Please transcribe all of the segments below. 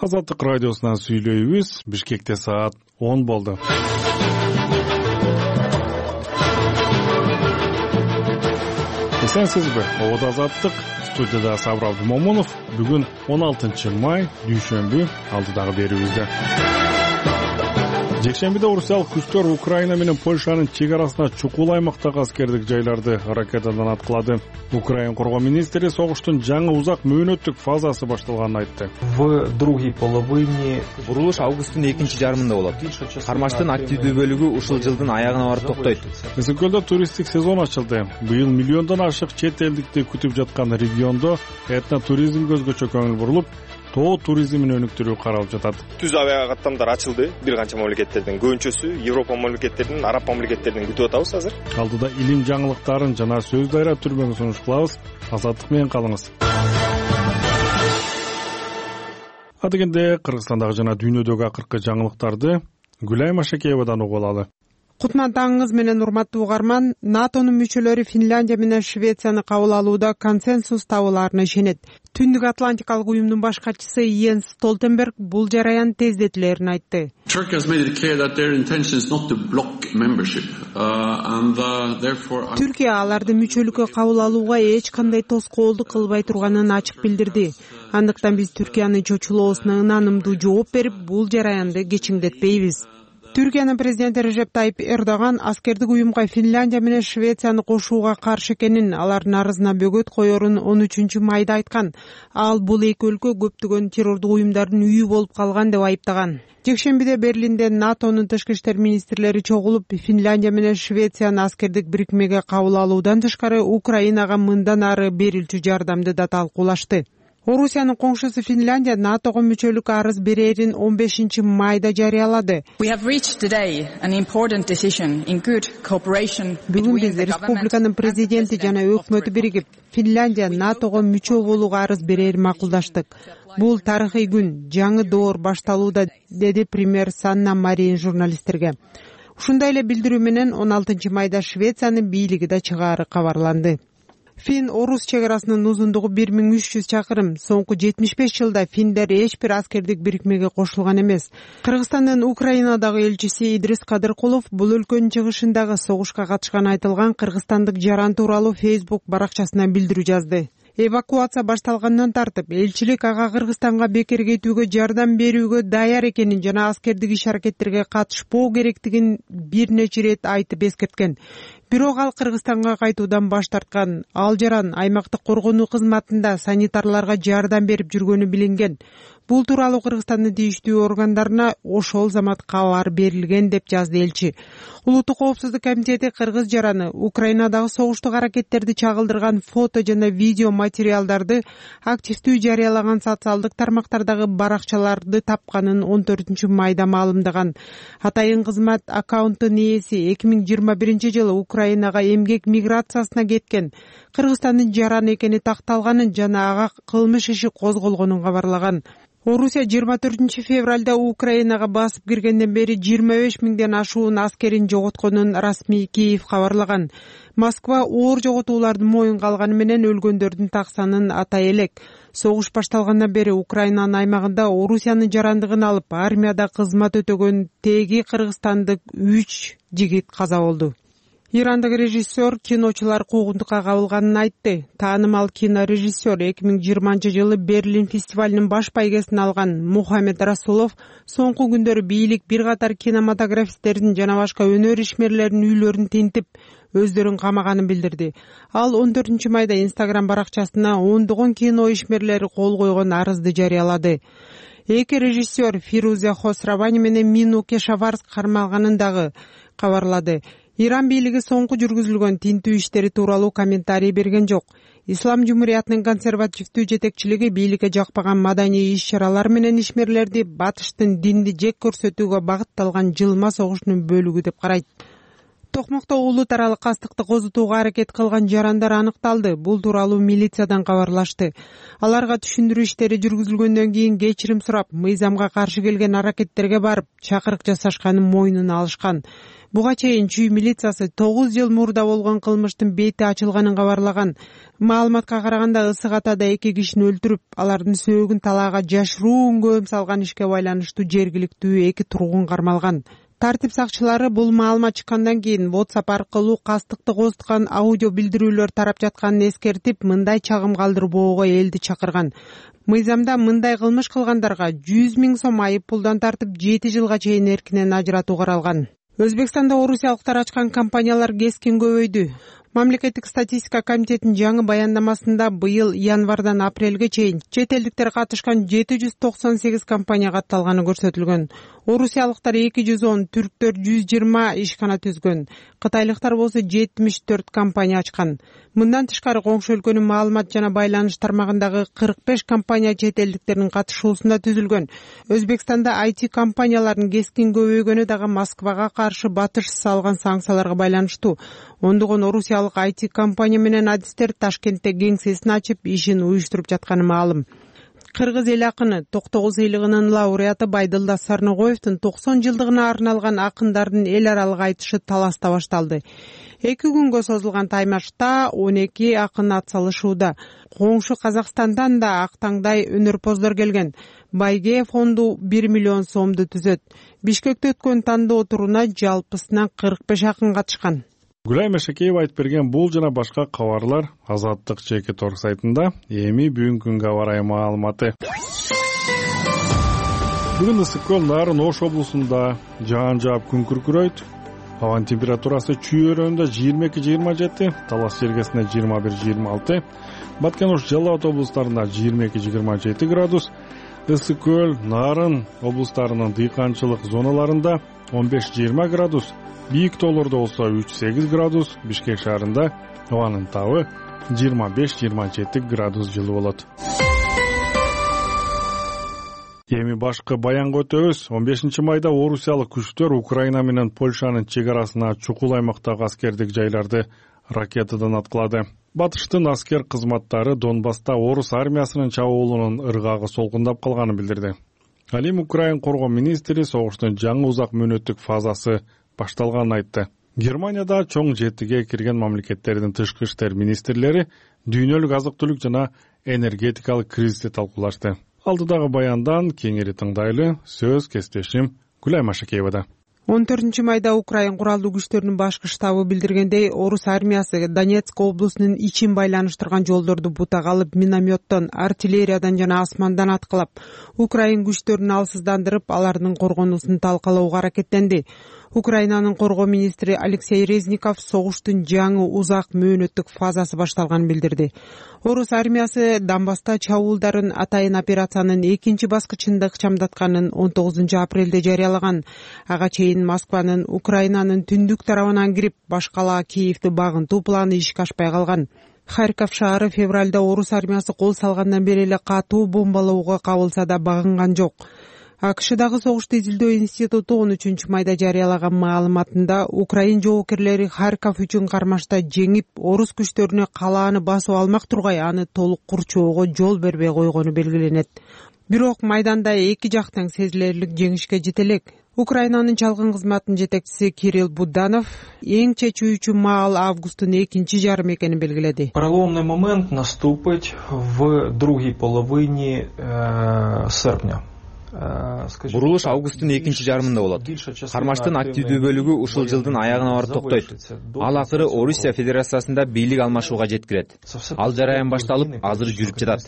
Азаттык радиосунан сүйлөйбүз. Бишкекте саат 10 болду. Эсенсизби? Обода Азаттык, студияда Сабыр Абдымомунов. Бүгүн 16 май, дүйшөмбү, алдыдагы берүүбүздө. Жекшембиде орусиялык күчтөр Украина менен Польшанын чек арасына чукул аймактагы аскердик жайларды ракетадан аткылады. Украина коргоо министри согуштун жаңы узак мөөнөттүк фазасы башталганын айтты. Курулуш августтун экинчи жарымында болот. Кармаштын активдүү бөлүгү ушул жылдын аягына барып токтойт. Эсенкөлдө туристтик сезон ачылды. Быйыл миллиондон ашык чет элдикти күтүп жаткан региондо этно туризмге өзгөчө көңүл бурулуп, тоо туризмин өнүктүрүү каралып жатат. Түз авиа каттамдар ачылды. Бир канча мамлекеттердин, көбүнчөсү Европа мамлекеттеринин, Араб мамлекеттеринин күтүп атабыз азыр. Алдыда илим жаңылыктарын жана сөз дайра түрмөгүн сунуш кылабыз. Азаттык менен калыңыз. Адегенде Кыргызстандагы жана дүйнөдөгү акыркы жаңылыктарды Гүлай Машакеевадан угуп алалы. Кутман таңыңыз менен урматтуу угарман. НАТОнун мүчөлөрү Финляндия менен Швецияны кабыл алууда консенсус табылаарына ишенет. Түндүк Атлантикалык уюмдун баш катчысы Йенс Столтенберг бул жараян тездетилерин айтты. Түркия аларды мүчөлүккө кабыл алууга эч кандай тоскоолдук кылбай турганын ачык билдирди. Андыктан биз Түркиянын чочулоосуна ынанымдуу жооп берип, бул жараянды кечиңдетпейбиз. Түркиянын президенти Режеп Тайип Эрдоган аскердик уюмга Финляндия менен Швецияны кошууга каршы экенин, алардын арызына бөгөт коерун 13 майда айткан. Ал бул эки өлкө көптөгөн террордук уюмдардын үйү болуп калган деп айыптаган. Жекшембиде Берлинде НАТОнун тышкы иштер министрлери чогулуп, Финляндия менен Швецияны аскердик бирикмеге кабыл алуудан тышкары Украинага мындан ары берилчү жардамды да талкуулашты. Орусиянын коңшусу Финляндия НАТОго мүчөлүк арыз берерин 15 майда жарыялады. Бүгүн биз республиканын президенти жана өкмөтү биригип, Финляндия НАТОго мүчө болууга арыз берерин макулдаштык. Бул тарыхый күн, жаңы доор башталууда, деди премьер Санна Марин журналисттерге. Ушундай эле билдирүү менен 16 майда Швециянын бийлиги да чыгаары кабарланды. Фин-Орус чек арасынын узундугу 1300 чакырым. Соңку 75 жылда финдер эч бир аскердик бирикмеге кошулган эмес. Кыргызстандын Украинадагы элчиси Идрис Кадыркулов бул өлкөнүн чыгышындагы согушка катышканы айтылган кыргызстандык жаран тууралуу Facebook баракчасына билдирүү жазды. Эвакуация башталгандан тартып, элчилик ага Кыргызстанга бекер кетүүгө жардам берүүгө даяр экенин жана аскердик иш-аракеттерге катышпоо керектигин бир нече ирет айтып эскерткен. Бирок ал Кыргызстанга кайтуудан баш тарткан. Ал жаран аймактык коргонуу кызматында санитарларга жардам берип жүргөнү билинген. Бул тууралуу Кыргызстандын тийиштүү органдарына ошол замат кабар берилген деп жазды элчи. Улуттук коопсуздук комитети кыргыз жараны Украинадагы согуштук аракеттерди чагылдырган фото жана видео материалдарды активдүү жарыялаган социалдык тармактардагы баракчаларды тапканын 14 майда маалымдаган. Атайын кызмат аккаунттун ээси 2021 жылы Украинага эмгек миграциясына кеткен Кыргызстандын жараны экени такталганын жана ага кылмыш иши козголгонун кабарлаган. Орусия 24 февралда Украинага басып киргенден бери 25 миңден ашуун аскерин жоготконун расмий Киев кабарлаган. Москва оор жоготуулардын моюнга алганы менен өлгөндөрдүн так санын атай элек. Согуш башталгандан бери Украинанын аймагында Орусиянын жарандыгын алып, армияда кызмат өтөгөн теги кыргызстандык 3 жигит каза болду. Ирандык режиссер киночулар куугунтукка кабылганын айтты. Таанымал кинорежиссер 2020 жылы Берлин фестивалынын баш байгесин алган Мухаммед Расулов соңку күндөрү бийлик бир катар кинематографисттердин жана башка өнөр ишмерлеринин үйлөрүн тинтип, өздөрүн камаганын билдирди. Ал 14 майда Instagram баракчасына ондогон кино ишмерлери кол койгон арызды жарыялады. Эки режиссер Фируза Хосравани менен Мину Кешаварск кармалганын дагы кабарлады. Иран бийлиги соңку жүргүзүлгөн тинтүү иштери тууралуу комментарий берген жок. Ислам Жумуриятынын консервативдүү жетекчилиги бийликке жакпаган маданий иш-чаралар менен ишмерлерди батыштын динди жек көрсөтүүгө багытталган жылма согушунун бөлүгү деп карайт. Токмокто улут аралык кастыкты козутууга аракет кылган жарандар аныкталды. Бул тууралуу милициядан кабарлашты. Аларга түшүндүрүү иштери жүргүзүлгөндөн кийин кечирим сурап, мыйзамга каршы келген аракеттерге барып, чакырык жасашканын мойнуна алышкан. Буга чейин Чүй милициясы 9 жыл мурда болгон кылмыштын бети ачылганын кабарлаган. Маалыматка караганда ысык атада 2 кишини өлтүрүп, алардын сөөгүн талаага жашыруун көм салган ишке байланыштуу жергиликтүү 2 тургун кармалган. Тартип сакчылары бул маалымат чыккандан кийин WhatsApp аркылуу кастыкты козуткан аудио билдирүүлөр тарап жатканын эскертип, мындай чагым калтырбоого элди чакырган. Мыйзамда мындай кылмыш кылгандарга 100 000 сом айып пулдан тартып 7 жылга чейин эркинен ажыратуу каралган. Өзбекстанда орусиялыктар ачкан компаниялар кескин көбөйдү. Мамлекеттик статистика комитетинин жаңы баяндамасында быйыл январдан апрелге чейин чет элдиктер катышкан 798 компания катталганы көрсөтүлгөн. Орусиялыктар 210, түрктөр 120 ишкана түзгөн. Кытайлыктар болсо 74 компания ачкан. Мындан тышкары коңшу өлкөнүн маалымат жана байланыш тармагындагы 45 компания чет элдиктердин катышуусунда түзүлгөн. Өзбекстанда IT компаниялардын кескин көбөйгөнү дагы Москвага каршы батышсыз салган санкцияларга байланыштуу. Ондогон орусиялык IT компания менен адистер Ташкентте кеңсесин ачып, ишин уюштуруп жатканы маалым. Кыргыз эл акыны Токтогул сыйлыгынын лауреаты Байдылда Сарногоевдун 90 жылдыгына арналган акындардын эл аралык айтышы Таласта башталды. 2 күнгө созулган таймашта 12 акын ат салышууда. Коңшу Казакстандан да актаңдай өнөрпоздор келген. Байге фонду 1 миллион сомду түзөт. Бишкекте өткөн тандоо туруна жалпысынан 45 акын катышкан. Гүлай Мешекеева айтып берген бул жана башка кабарлар Азаттык жеке торг сайтында. Эми бүгүнкү күнгө аба ырайы маалыматы. Бүгүн ысык көл Нарын Ош облусунда жаан жаап күн күркүрөйт. Абанын температурасы Чүй өрөөнүндө 22-27, Талас жергесинде 21-26, Баткен Ош Жалал Абад облустарында 22-27 градус, ысык көл Нарын облустарынын дыйканчылык зоналарында 15-20 градус, бийик тоолордо болсо 3-8 градус, Бишкек шаарында абанын табы 25-27 градус жылуу болот. Эми башкы баянга өтөбүз. 15 майда орусиялык күчтөр Украина менен Польшанын чек арасына чукул аймактагы аскердик жайларды ракетадан аткылады. Батыштын аскер кызматтары Донбасста орус армиясынын чабуулунун ыргагы солкундап калганын билдирди. Ал эми Украина коргоо министри согуштун жаңы узак мөөнөттүк фазасы башталганын айтты. Германияда чоң жетиге кирген мамлекеттердин тышкы иштер министрлери дүйнөлүк азык-түлүк жана энергетикалык кризисти талкуулашты. Алдыдагы баяндан кеңири тыңдайлы. Сөз кесиптешим Гүлай Машакеевада. 14 майда Украина куралдуу күчтөрүнүн башкы штабы билдиргендей, орус армиясы Донецк облусунун ичин байланыштырган жолдорду бутак алып, минометтон, артиллериядан жана асмандан аткылап, Украина күчтөрүн алсыздандырып, алардын коргонуусун талкалоого аракеттенди. Украинанын коргоо министри Алексей Резников согуштун жаңы узак мөөнөттүк фазасы башталганын билдирди. Орус армиясы Донбасста чабуулдарын атайын операциянын 2 баскычында ыкчамдатканын 19 апрелде жарыялаган. Ага чейин Москванын Украинанын түндүк тарабынан кирип, башкала Киевди багынтуу планы ишке ашпай калган. Харьков шаары февралда орус армиясы кол салгандан бери эле катуу бомбалоого кабылса да багынган жок. АКШдагы согушту изилдөө институту 13 майда жарыялаган маалыматында Украин жоокерлери Харьков үчүн кармашта жеңип, орус күчтөрүнө калааны басып алмак тургай, аны толук курчоого жол бербей койгону белгиленет. Бирок майданда эки жак тең сезилерлик жеңишке жете элек. Украинанын чалгын кызматынын жетекчиси Кирилл Буданов эң чечүүчү маал августтун 2 жарымы экенин белгиледи. Переломный момент наступить в другой половине серпня. Бурулуш августтун 2 жарымында болот. Кармаштын активдүү бөлүгү ушул жылдын аягына барып токтойт. Ал акыры Орусия Федерациясында бийлик алмашууга жеткирет. Ал жараян башталып, азыр жүрүп жатат.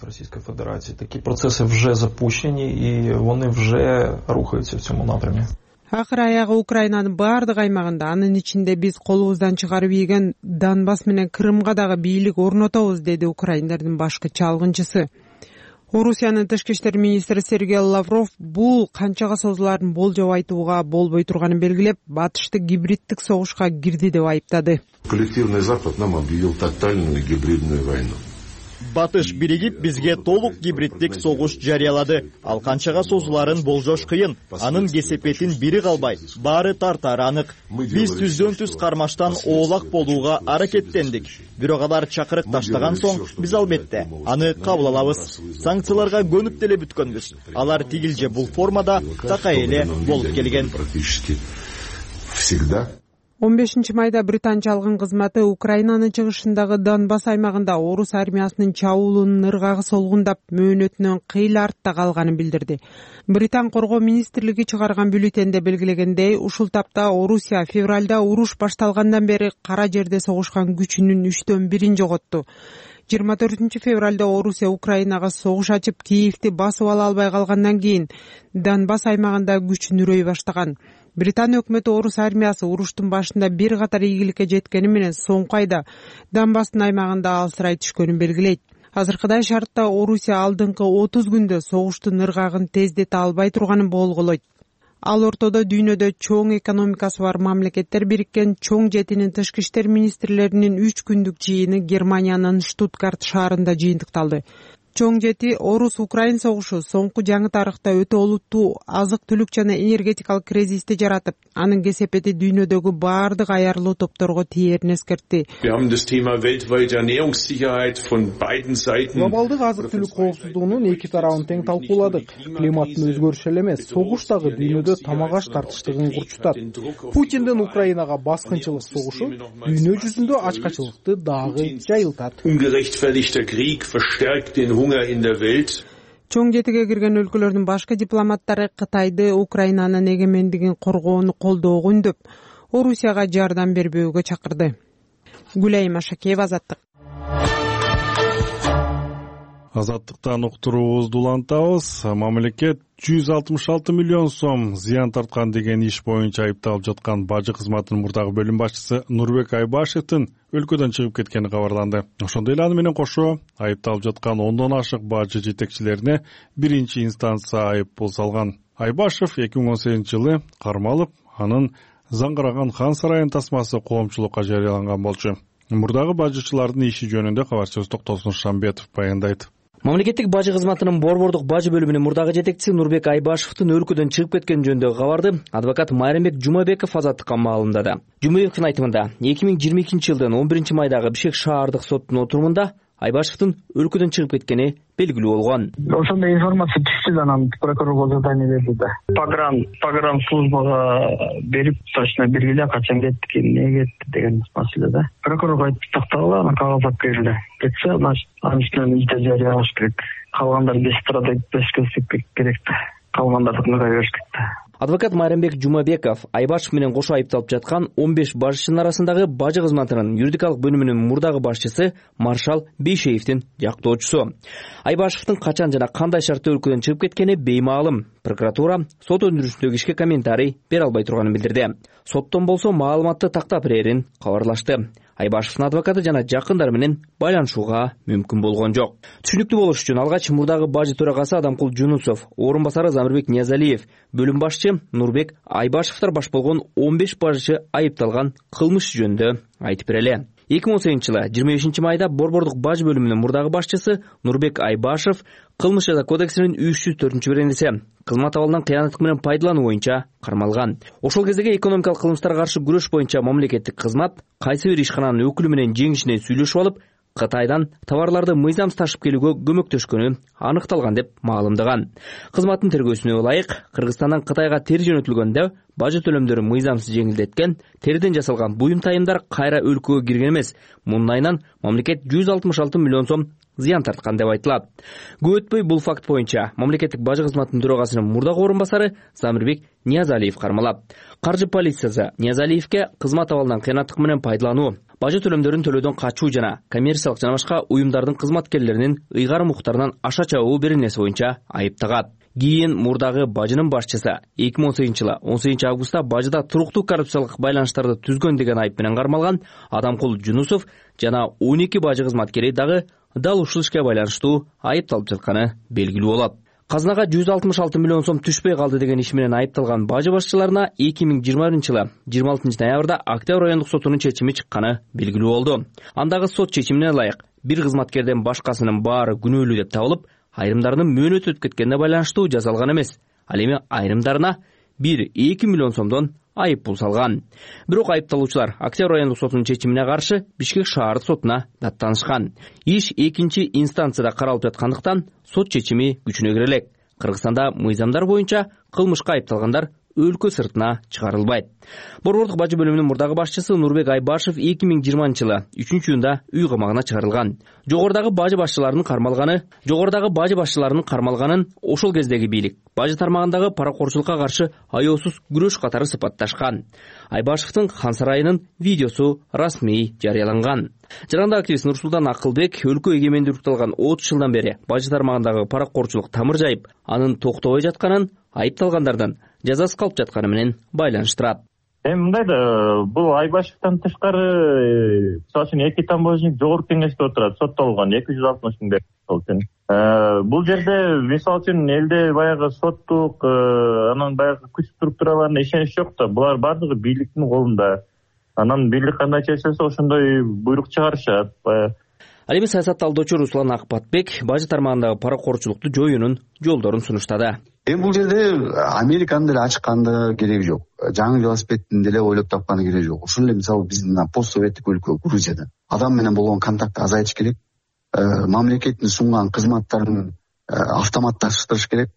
Такие процессы уже запущены и они уже рухаются в цьому напрямке. Акыр аягы Украинанын баардык аймагында, анын ичинде биз колубуздан чыгарып ийген Донбасс менен Крымга дагы бийлик орнотобуз, деди Украиндардын башкы чалгынчысы. Орусиянын тышкы иштер министри Сергей Лавров бул канчага созуларын болжоп айтууга болбой турганын белгилеп, батышты гибриддик согушка кирди деп айыптады. Коллективный Запад нам объявил тотальную гибридную войну. Батыш биригип бизге толук гибриддик согуш жарыялады. Ал канчага созуларын болжош кыйын. Анын кесепетин бири калбай, баары тартары анык. Биз түздөн түз кармаштан оолак болууга аракеттендик. Бирок алар чакырык таштаган соң биз албетте аны кабыл алабыз. Санкцияларга көнүп деле бүткөнбүз. Алар тигил же бул формада такай эле болуп келген. 15 майда Британча алган кызматы Украинанын чыгышындагы Донбасс аймагында орус армиясынын чабуулунун ыргагы солгундап мөөнөтүнөн кыйла артта калганын билдирди. Британ коргоо министрлиги чыгарган бюллетенде белгилегендей, ушул тапта Орусия февралда уруш башталгандан бери кара жерде согушкан күчүнүн 1/3 жоготту. 24 февралда Орусия Украинага согуш ачып, Киевти басып ала албай калгандан кийин Донбасс аймагында күчүнүрөй баштаган. Британ өкмөтү орус армиясы уруштун башында бир катар ийгиликке жеткени менен соңку айда Донбасстын аймагында алсырай түшкөнүн белгилейт. Азыркыдай шартта Орусия алдыңкы 30 күндө согуштун ыргагын тездете албай турганын болголойт. Ал ортодо дүйнөдө чоң экономикасы бар мамлекеттер бириккен чоң жетинин тышкы иштер министрлеринин 3 күндүк жыйыны Германиянын Штутгарт шаарында жыйынтыкталды. Чоң жети орус-украин согушу соңку жаңы тарыхта өтө олуттуу азык-түлүк жана энергетикалык кризисти жаратып, анын кесепети дүйнөдөгү баардык аярлуу топторго тиерин эскертти. Глобалдык азык-түлүк коопсуздугунун эки тарабын тең талкууладык. Климаттын өзгөрүшү эле эмес, согуш дагы дүйнөдө тамак-аш тартыштыгын курчутат. Путиндин Украинага баскынчылык согушу дүйнө жүзүндө ачкачылыкты дагы жайылтат. Чоң жетиге кирген өлкөлөрдүн башкы дипломаттары Кытайды Украинанын эгемендигин коргоону колдоого үндөп, Орусияга жардам бербөөгө чакырды. Гүлайым Ашакеева, Азаттык. Азаттыктан уктуруубузду улантабыз. Мамлекет 166 миллион сом зыян тарткан деген иш боюнча айыпталып жаткан бажы кызматынын мурдагы бөлүм башчысы Нурбек Айбашевдин өлкөдөн чыгып кеткени кабарланды. Ошондой эле аны менен кошо айыпталып жаткан 10дон ашык бажы жетекчилерине биринчи инстанция айып пул салган. Айбашев 2018-жылы кармалып, анын заңгыраган Хан сарайынын тасмасы коомчулукка жарыяланган болчу. Мурдагы бажычылардын иши жөнүндө кабарчыбыз Токтосун Шамбетов баяндайт. Мамлекеттик бажы кызматынын борбордук бажы бөлүмүнүн мурдагы жетекчиси Нурбек Айбашевдин өлкөдөн чыгып кеткени жөнүндөгү кабарды адвокат Майрамбек Жумабеков Азаттыкка маалымдады. Жумабековдун айтымында 2022-жылдын 11 майдагы Бишкек шаардык соттун отурумунда Айбашевдин өлкөдөн чыгып кеткени белгилүү болгон. Ошондой информация түштү да, анан прокурорго задание берди да. Погран службага берип, точно белгиле качан кетти, эмне кетти деген маселе да. Прокурорго айтып тактагыла, анан кагаз алып келди. Кетсе, значит, анын үстүнөн иште жарыялаш керек. Калгандар 5 турада 5 көзсөк керек да. Калгандардыкына бериш керек да. Адвокат Майрамбек Жумабеков Айбашев менен кошо айыпталып жаткан 15 башчынын арасындагы бажы кызматынын юридикалык бөлүмүнүн мурдагы башчысы Маршал Бейшеевдин жактоочусу. Айбашевдин качан жана кандай шартта өлкөдөн чыгып кеткени беймаалым. Прокуратура сот өндүрүшүндөгү ишке комментарий бере албай турганын билдирди. Соттон болсо маалыматты тактап берерин кабарлашты. Айбашевдин адвокаты жана жакындары менен байланышууга мүмкүн болгон жок. Түшүнүктүү болуш үчүн алгач мурдагы бажы төрагасы Адамкул Жунусов, орун басары Замирбек Ниязалиев, бөлүм башчы Нурбек Айбашевдер баш болгон 15 бажычы айыпталган кылмыш жөнүндө айтып берели. 2018-жылы 25 майда борбордук бажы бөлүмүнүн мурдагы башчысы Нурбек Айбашев кылмыш жаза кодексинин 304-беренеси кызмат абалынан кыянаттык менен пайдалануу боюнча кармалган. Ошол кездеги экономикалык кылмыштарга каршы күрөш боюнча мамлекеттик кызмат кайсы бир ишкананын өкүлү менен жеңишине сүйлөшүп алып, Кытайдан товарларды мыйзамсыз ташып келүүгө көмөктөшкөнү аныкталган деп маалымдаган. Кызматтын тергөөсүнө ылайык, Кыргызстандан Кытайга тери жөнөтүлгөндө бажы төлөмдөрүн мыйзамсыз жеңилдеткен, териден жасалган буюм тайымдар кайра өлкөгө кирген эмес. Мунун айынан мамлекет 166 миллион сом зыян тарткан деп айтылат. Көп өтпөй бул факт боюнча мамлекеттик бажы кызматынын төрагасынын мурдагы орун басары Замирбек Ниязалиев кармалат. Каржы полициясы Ниязалиевке кызмат абалынан кыянаттык менен пайдалануу, бажы төлөмдөрүн төлөөдөн качуу жана коммерциялык жана башка уюмдардын кызматкерлеринин ыйгарым укуктарынан аша чабуу беренеси боюнча айып тагат. Кийин мурдагы бажынын башчысы 2018-жылы 18 августта бажыда туруктуу коррупциялык байланыштарды түзгөн деген айып менен кармалган Адамкул Жунусов жана 12 бажы кызматкери дагы дал ушул ишке байланыштуу айыпталып жатканы белгилүү болот. Казынага 166 миллион сом түшпөй калды деген иш менен айыпталган бажы башчыларына 2020-жылы 26 ноябрда Октябрь райондук сотунун чечими чыкканы белгилүү болду. Андагы сот чечимине ылайык бир кызматкерден башкасынын баары күнөөлүү деп табылып, айрымдарынын мөөнөтү өтүп кеткенине байланыштуу жазалган эмес. Ал эми айрымдарына 1-2 миллион сомдон айып пул салган. Бирок айыпталуучулар Октябрь райондук сотунун чечимине каршы Бишкек шаардык сотуна даттанышкан. Иш 2 инстанцияда каралып жаткандыктан сот чечими күчүнө кире элек. Кыргызстанда мыйзамдар боюнча кылмышка айыпталгандар өлкө сыртына чыгарылбайт. Борбордук бажы бөлүмүнүн мурдагы башчысы Нурбек Айбашев 2020-жылы 3-июнда үй камагына чыгарылган. Жогорудагы бажы башчыларынын кармалганын ошол кездеги бийлик бажы тармагындагы паракорчулукка каршы аяосуз күрөш катары сыпатташкан. Айбашевдин Хан сарайынын видеосу расмий жарыяланган. Жаранда активист Нурсултан Акылбек өлкө эгемендүүлүктү алган 30 жылдан бери бажы тармагындагы паракорчулук тамыр жайып, анын токтобой жатканын, айыпталгандардан жазасыз калып жатканы менен байланыштырат. Эми мындай да, бул Айбашевден тышкары, мисалы үчүн 2 таможник жогорку кеңеште отурат, соттолгон 260 миң берген. Бул жерде мисалы үчүн элде баягы соттук, анан баягы күч структураларына ишенич жок да. Булар бардыгы бийликтин колунда. Анан бийлик кандай чечилсе ошондой буйрук чыгарышат. Ал эми саясат талдоочу Руслан Акпатбек бажы тармагындагы паракорчулукту жоюунун жолдорун сунуштады. Эми бул жерде Американын деле ачканды кереги жок. Жаңы велосипедин деле ойлоп тапканы кереги жок. Ушул эле мисалы биздин постсоветтик өлкө Грузияда адам менен болгон контактты азайтыш керек. Мамлекеттин сунган кызматтарын автоматташтырыш керек.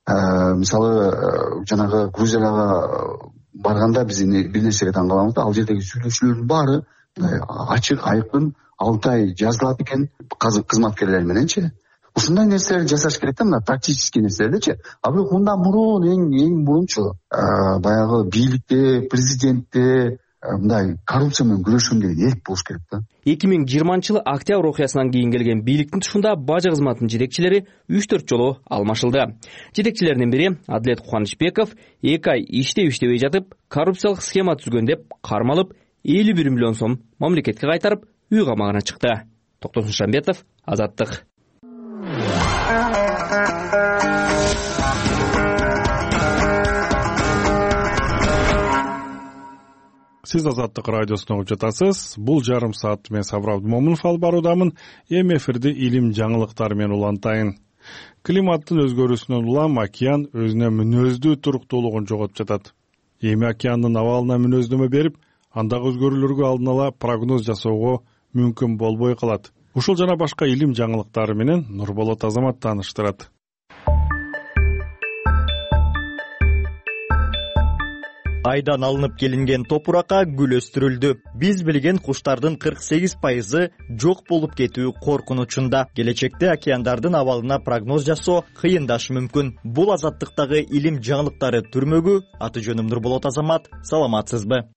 Мисалы жанагы Грузияга барганда биз бир нерсеге таң калабыз да, ал жердеги сүйлөшүүлөрдүн баары ачык, айкын, алтай жазылат экен кызматкерлер мененчи. Ушундай нерселерди жасаш керек да, мына практический нерселердичи. А бирок мындан мурун эң мурунчу баягы бийликте, президентте мындай коррупция менен күрөшөм деген эрк болуш керек да. 2020-жылы Октябрь окуясынан кийин келген бийликтин тушунда бажы кызматынын жетекчилери 3-4 жолу алмашылды. Жетекчилердин бири Адилет Кубанычбеков 2 ай иштебей жатып, коррупциялык схема түзгөн деп кармалып, 51 миллион сом мамлекетке кайтарып, үй камагына чыкты. Токтосун Шамбетов, Азаттык. Сиз Азаттык радиосун угуп жатасыз. Бул жарым саат мен Сабыр Абдымомунов алып баруудамын. Эми эфирди илим жаңылыктары менен улантайын. Климаттын өзгөрүүсүнөн улам океан өзүнө мүнөздүү туруктуулугун жоготуп жатат. Эми океандын абалына мүнөздөмө берип, андагы өзгөрүүлөргө алдын ала прогноз жасоого мүмкүн болбой калат. Ушул жана башка илим жаңылыктары менен Нурболот Азамат тааныштырат. Айдан алынып келинген топуракка гүл өстүрүлдү. Биз билген куштардын 48% жок болуп кетүү коркунучунда. Келечекте океандардын абалына прогноз жасоо кыйындашы мүмкүн. Бул Азаттыктагы илим жаңылыктары түрмөгү. Аты жөнүм Нурболот Азамат. Саламатсызбы?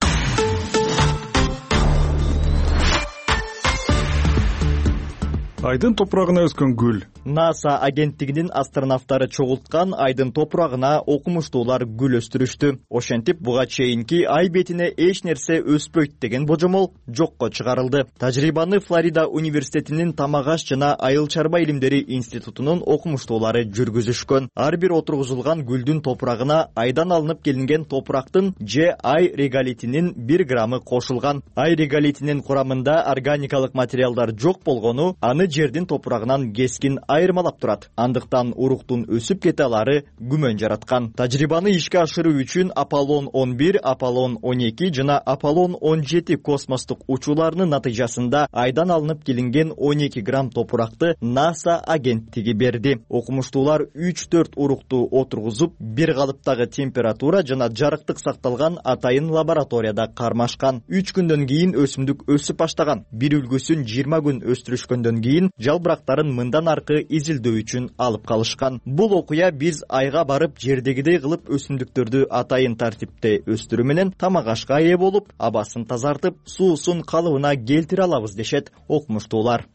Айдын топурагына өскөн гүл. НАСА агенттигинин астронавттары чогулткан айдын топурагына окумуштуулар гүл өстүрүштү. Ошентип буга чейинки ай бетине эч нерсе өспөйт деген божомол жокко чыгарылды. Тажрыйбаны Флорида университетинин тамак аш жана айыл чарба илимдери институтунун окумуштуулары жүргүзүшкөн. Ар бир отургузулган гүлдүн топурагына айдан алынып келинген топурактын же ай реголитинин 1 граммы кошулган. Ай реголитинин курамында органикалык материалдар жок болгону аны жердин топурагынан кескин айырмалап турат. Андыктан уруктун өсүп кете алары күмөн жараткан. Тажрыйбаны ишке ашыруу үчүн Аполлон 11, Аполлон 12 жана Аполлон 17 космостук учууларынын натыйжасында айдан алынып келинген 12 грамм топуракты НАСА агенттиги берди. Окумуштуулар 3-4 урукту отургузуп, бир калыптагы температура жана жарыктык сакталган атайын лабораторияда кармашкан. 3 күндөн кийин өсүмдүк өсүп баштаган. Бир үлгүсүн 20 күн өстүрүшкөндөн кийин жалбырактарын мындан аркы изилдөө үчүн алып калышкан. Бул окуя биз айга барып жердегидей кылып өсүмдүктөрдү атайын тартипте өстүрүү менен тамак ашка ээ болуп, абасын тазартып, суусун калыбына келтире алабыз дешет окумуштуулар.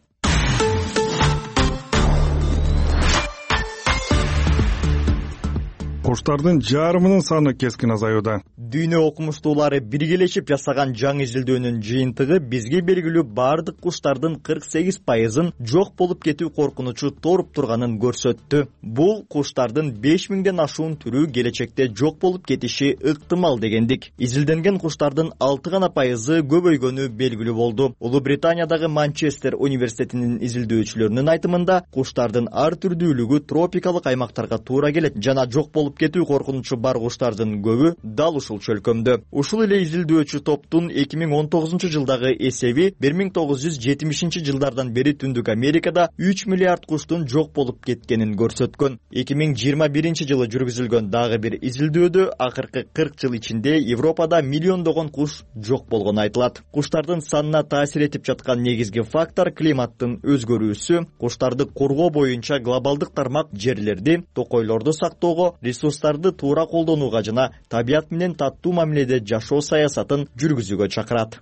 Куштардын жарымынын саны кескин азаюуда. Дүйнө окумуштуулары биргелешип жасаган жаңы изилдөөнүн жыйынтыгы бизге белгилүү бардык куштардын 48%-ын жок болуп кетүү коркунучу торуп турганын көрсөттү. Бул куштардын 5000ден ашуун түрү келечекте жок болуп кетиши ыктымал дегендик. Изилденген куштардын 6% көбөйгөнү белгилүү болду. Улуу Британиядагы Манчестер университетинин изилдөөчүлөрүнүн айтымында, куштардын ар түрдүүлүгү тропикалык аймактарга туура келет жана жок болуп кетүү коркунучу бар куштардын көбү дал ушул чөлкөмдө. Ушул эле изилдөөчү топтун 2019-жылдагы эсеби 1970-жылдардан бери Түндүк Америкада 3 миллиард куштун жок болуп кеткенин көрсөткөн. 2021-жылы жүргүзүлгөн дагы бир изилдөөдө акыркы 40 жыл ичинде Европада миллиондогон куш жок болгону айтылат. Куштардын санына таасир этип жаткан негизги фактор климаттын өзгөрүүсү, куштарды коргоо боюнча глобалдык тармак жерлерди, токойлорду сактоого, ресурстарды туура колдонууга жана табият менен таттуу мамиледе жашоо саясатын жүргүзүүгө чакырат.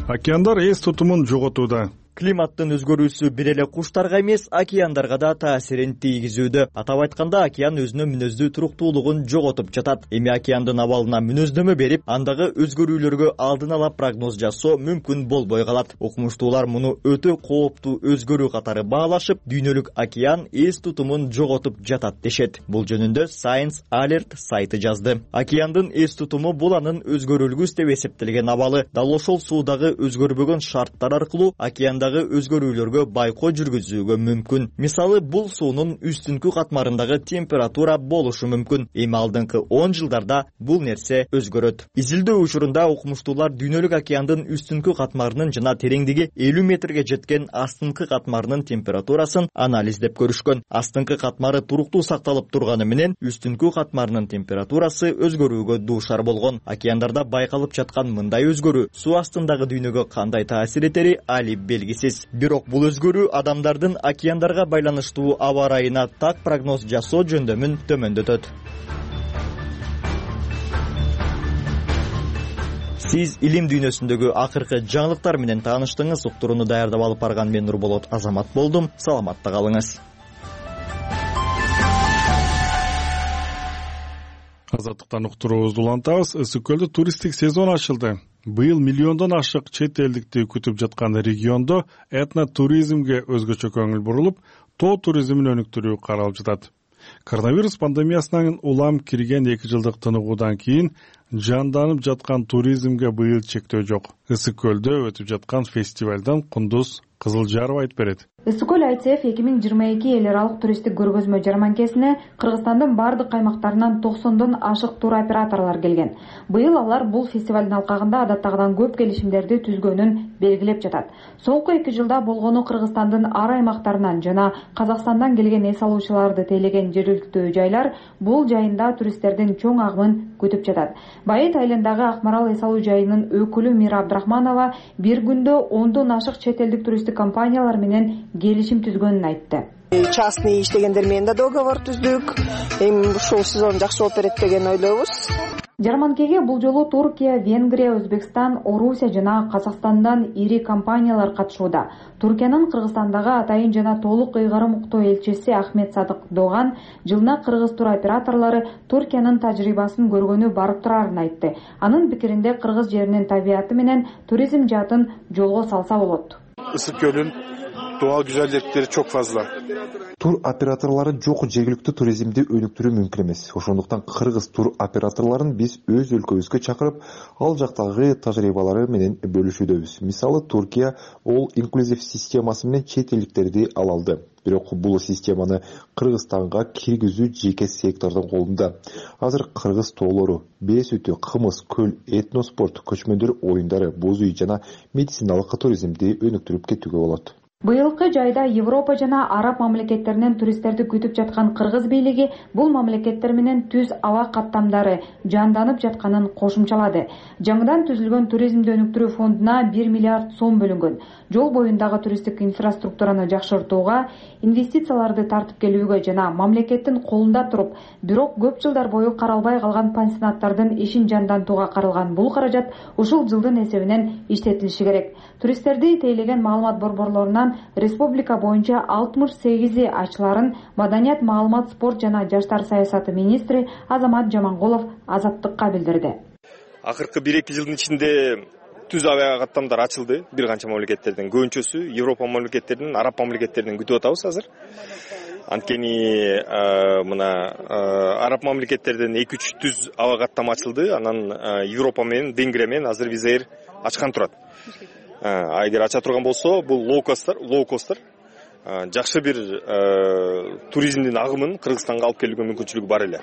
Океандар эс тутумун жоготууда. Климаттын өзгөрүүсү бир эле куштарга эмес, океандарга да таасирин тийгизүүдө. Атап айтканда, океан өзүнүн мүнөздүү туруктуулугун жоготуп жатат. Эми океандын абалына мүнөздөмө берип, андагы өзгөрүүлөргө алдын ала прогноз жасоо мүмкүн болбой калат. Окумуштуулар муну өтө кооптуу өзгөрүү катары баалашып, дүйнөлүк океан эс тутумун жоготуп жатат дешет. Бул жөнүндө Science Alert сайты жазды. Океандын эс тутуму бул анын өзгөрүлгүс деп эсептелген абалы. Дал ошол суудагы өзгөрбөгөн шарттар аркылуу океандагы өзгөрүүлөргө байкоо жүргүзүүгө мүмкүн. Мисалы, бул суунун үстүнкү катмарындагы температура болушу мүмкүн. Эми алдыңкы 10 жылдарда бул нерсе өзгөрөт. Изилдөө учурунда окумуштуулар дүйнөлүк океандын үстүнкү катмарынын жана тереңдиги 50 метрге жеткен астыңкы катмарынын температурасын анализдеп көрүшкөн. Астыңкы катмары туруктуу сакталып турганы менен үстүнкү катмарынын температурасы өзгөрүүгө дуушар болгон. Океандарда байкалып жаткан мындай өзгөрүү суу астындагы дүйнөгө кандай таасир этери али белгисиз. Бирок бул өзгөрүү адамдардын океандарга байланыштуу аба ырайына так прогноз жасоо жөндөмүн төмөндөтөт. Сиз илим дүйнөсүндөгү акыркы жаңылыктар менен тааныштыңыз. Уктурууну даярдап алып барган мен Нурболот Азамат болдум. Саламатта калыңыз. Азаттыктан уктуруубузду улантабыз. Ысык көлдө туристтик сезон ачылды. Быйыл миллиондон ашык чет элдикти күтүп жаткан региондо этнотуризмге өзгөчө көңүл бурулуп, тоо туризмин өнүктүрүү каралып жатат. Коронавирус пандемиясынан улам кирген 2 жылдык тыныгуудан кийин жанданып жаткан туризмге быйыл чектөө жок. Ысык көлдө өтүп жаткан фестивалдан Кундуз Кызылжарова айтып берет. Ысык көл ICF 2022 эл аралык туристтик көргөзмө жарманкесине Кыргызстандын бардык аймактарынан 90дон ашык тур операторлор келген. Быйыл алар бул фестивалдын алкагында адаттагыдан көп келишимдерди түзгөнүн белгилеп жатат. Соңку 2 жылда болгону Кыргызстандын ар аймактарынан жана Казакстандан келген эс алуучуларды тейлеген жергиликтүү жайлар бул жайында туристтердин чоң агымын күтүп жатат. Байыт айылындагы Акмарал эс алуу жайынын өкүлү Мира Абдрахманова бир күндө 10дон ашык чет элдик туристтик компаниялар менен келишим түзгөнүн айтты. Частный иштегендер менен да договор түздүк. Эми ушул сезон жакшы болуп берет деген ойлойбуз. Жарманкеге бул жолу Туркия, Венгрия, Өзбекстан, Орусия жана Казакстандан ири компаниялар катышууда. Туркиянын Кыргызстандагы атайын жана толук ыйгарым уктоо элчиси Ахмет Садык Доган жылына кыргыз тур операторлору Туркиянын тажрыйбасын көргөнү барып турарын айтты. Анын пикиринде кыргыз жеринин табияты менен туризм жаатын жолго салса болот. Ысык көлүн doğal güzellikleri çok fazla. Тур операторлары жок жергиликтүү туризмди өнүктүрүү мүмкүн эмес. Ошондуктан кыргыз тур операторлорун биз өз өлкөбүзгө чакырып, ал жактагы тажрыйбалары менен бөлүшүүдөбүз. Мисалы, Туркия all inclusive системасы менен чет элдиктерди ала алды. Бирок бул системаны Кыргызстанга киргизүү жеке сектордун колунда. Азыр кыргыз тоолору, бээ сүтү, кымыз, көл, этноспорт, көчмөндөр оюндары, боз үй жана медициналык туризмди өнүктүрүп кетүүгө болот. Быйылкы жайда Европа жана Араб мамлекеттеринен туристтерди күтүп жаткан кыргыз бийлиги бул мамлекеттер менен түз аба каттамдары жанданып жатканын кошумчалады. Жаңыдан түзүлгөн туризмди өнүктүрүү фондуна 1 миллиард сом бөлүнгөн. Жол боюндагы туристтик инфраструктураны жакшыртууга, инвестицияларды тартып келүүгө жана мамлекеттин колунда туруп, бирок көп жылдар бою каралбай калган пансионаттардын ишин жандантууга каралган бул каражат ушул жылдын эсебинен иштетилиши керек. Туристтерди тейлеген маалымат борборлорунан анан республика боюнча 68 ачыларын маданият, маалымат, спорт жана жаштар саясаты министри Азамат Жамангулов Азаттыкка билдирди. Акыркы 1-2 жылдын ичинде түз авиа каттамдар ачылды бир канча мамлекеттерден. Көбүнчөсү Европа мамлекеттеринин, Араб мамлекеттеринен күтүп атабыз азыр. Анткени мына Араб мамлекеттерден 2-3 түз аба каттама ачылды. Анан Европа менен Венгрия менен азыр Визаир ачкан турат. Эгер ача турган болсо, бул лоукостер жакшы бир туризмдин агымын Кыргызстанга алып келүүгө мүмкүнчүлүгү бар эле.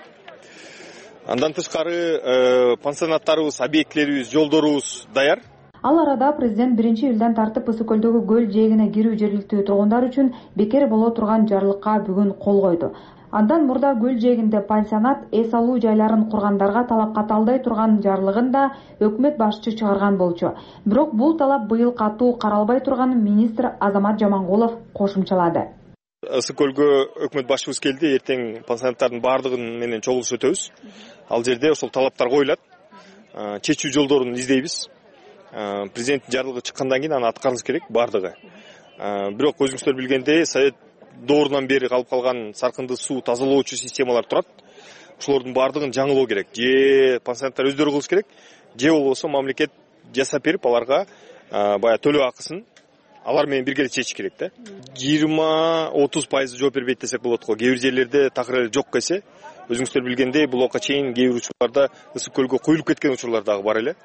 Андан тышкары пансионаттарыбыз, объектилерибиз, жолдорубуз даяр. Ал арада президент 1-июлдан тартып Ысык көлдөгү көл жээгине кирүү жергиликтүү тургундар үчүн бекер боло турган жарлыкка бүгүн кол койду. Андан мурда көл жээгинде пансионат, эс алуу жайларын кургандарга талап каталдай турган жарлыгын да өкмөт башчы чыгарган болчу. Бирок бул талап быйыл катуу каралбай турганын министр Азамат Жамангулов кошумчалады. Ысык көлгө өкмөт башчыбыз келди, эртең пансионаттардын баардыгын менен чогулуш өтөбүз. Ал жерде ошол талаптар коюлат. Чечүү жолдорун издейбиз. Президенттин жарлыгы чыккандан кийин аны аткарыбыз керек баардыгы. Бирок өзүңүздөр билгендей, Совет доорунан бери калып калган саркынды суу тазалоочу системалар турат. Ошолордун баардыгын жаңылоо керек. Же пансионаттар өздөрү кылыш керек, же болбосо мамлекет жасап берип аларга баягы төлөө акысын алар менен бирге чечиш керек да. 20-30% жооп бербейт десек болот го. Кээ бир жерлерде такыр эле жок эсе, өзүңүздөр билгендей, бул ока чейин кээ бир учурларда Ысык көлгө коюлуп кеткен учурлар дагы бар эле.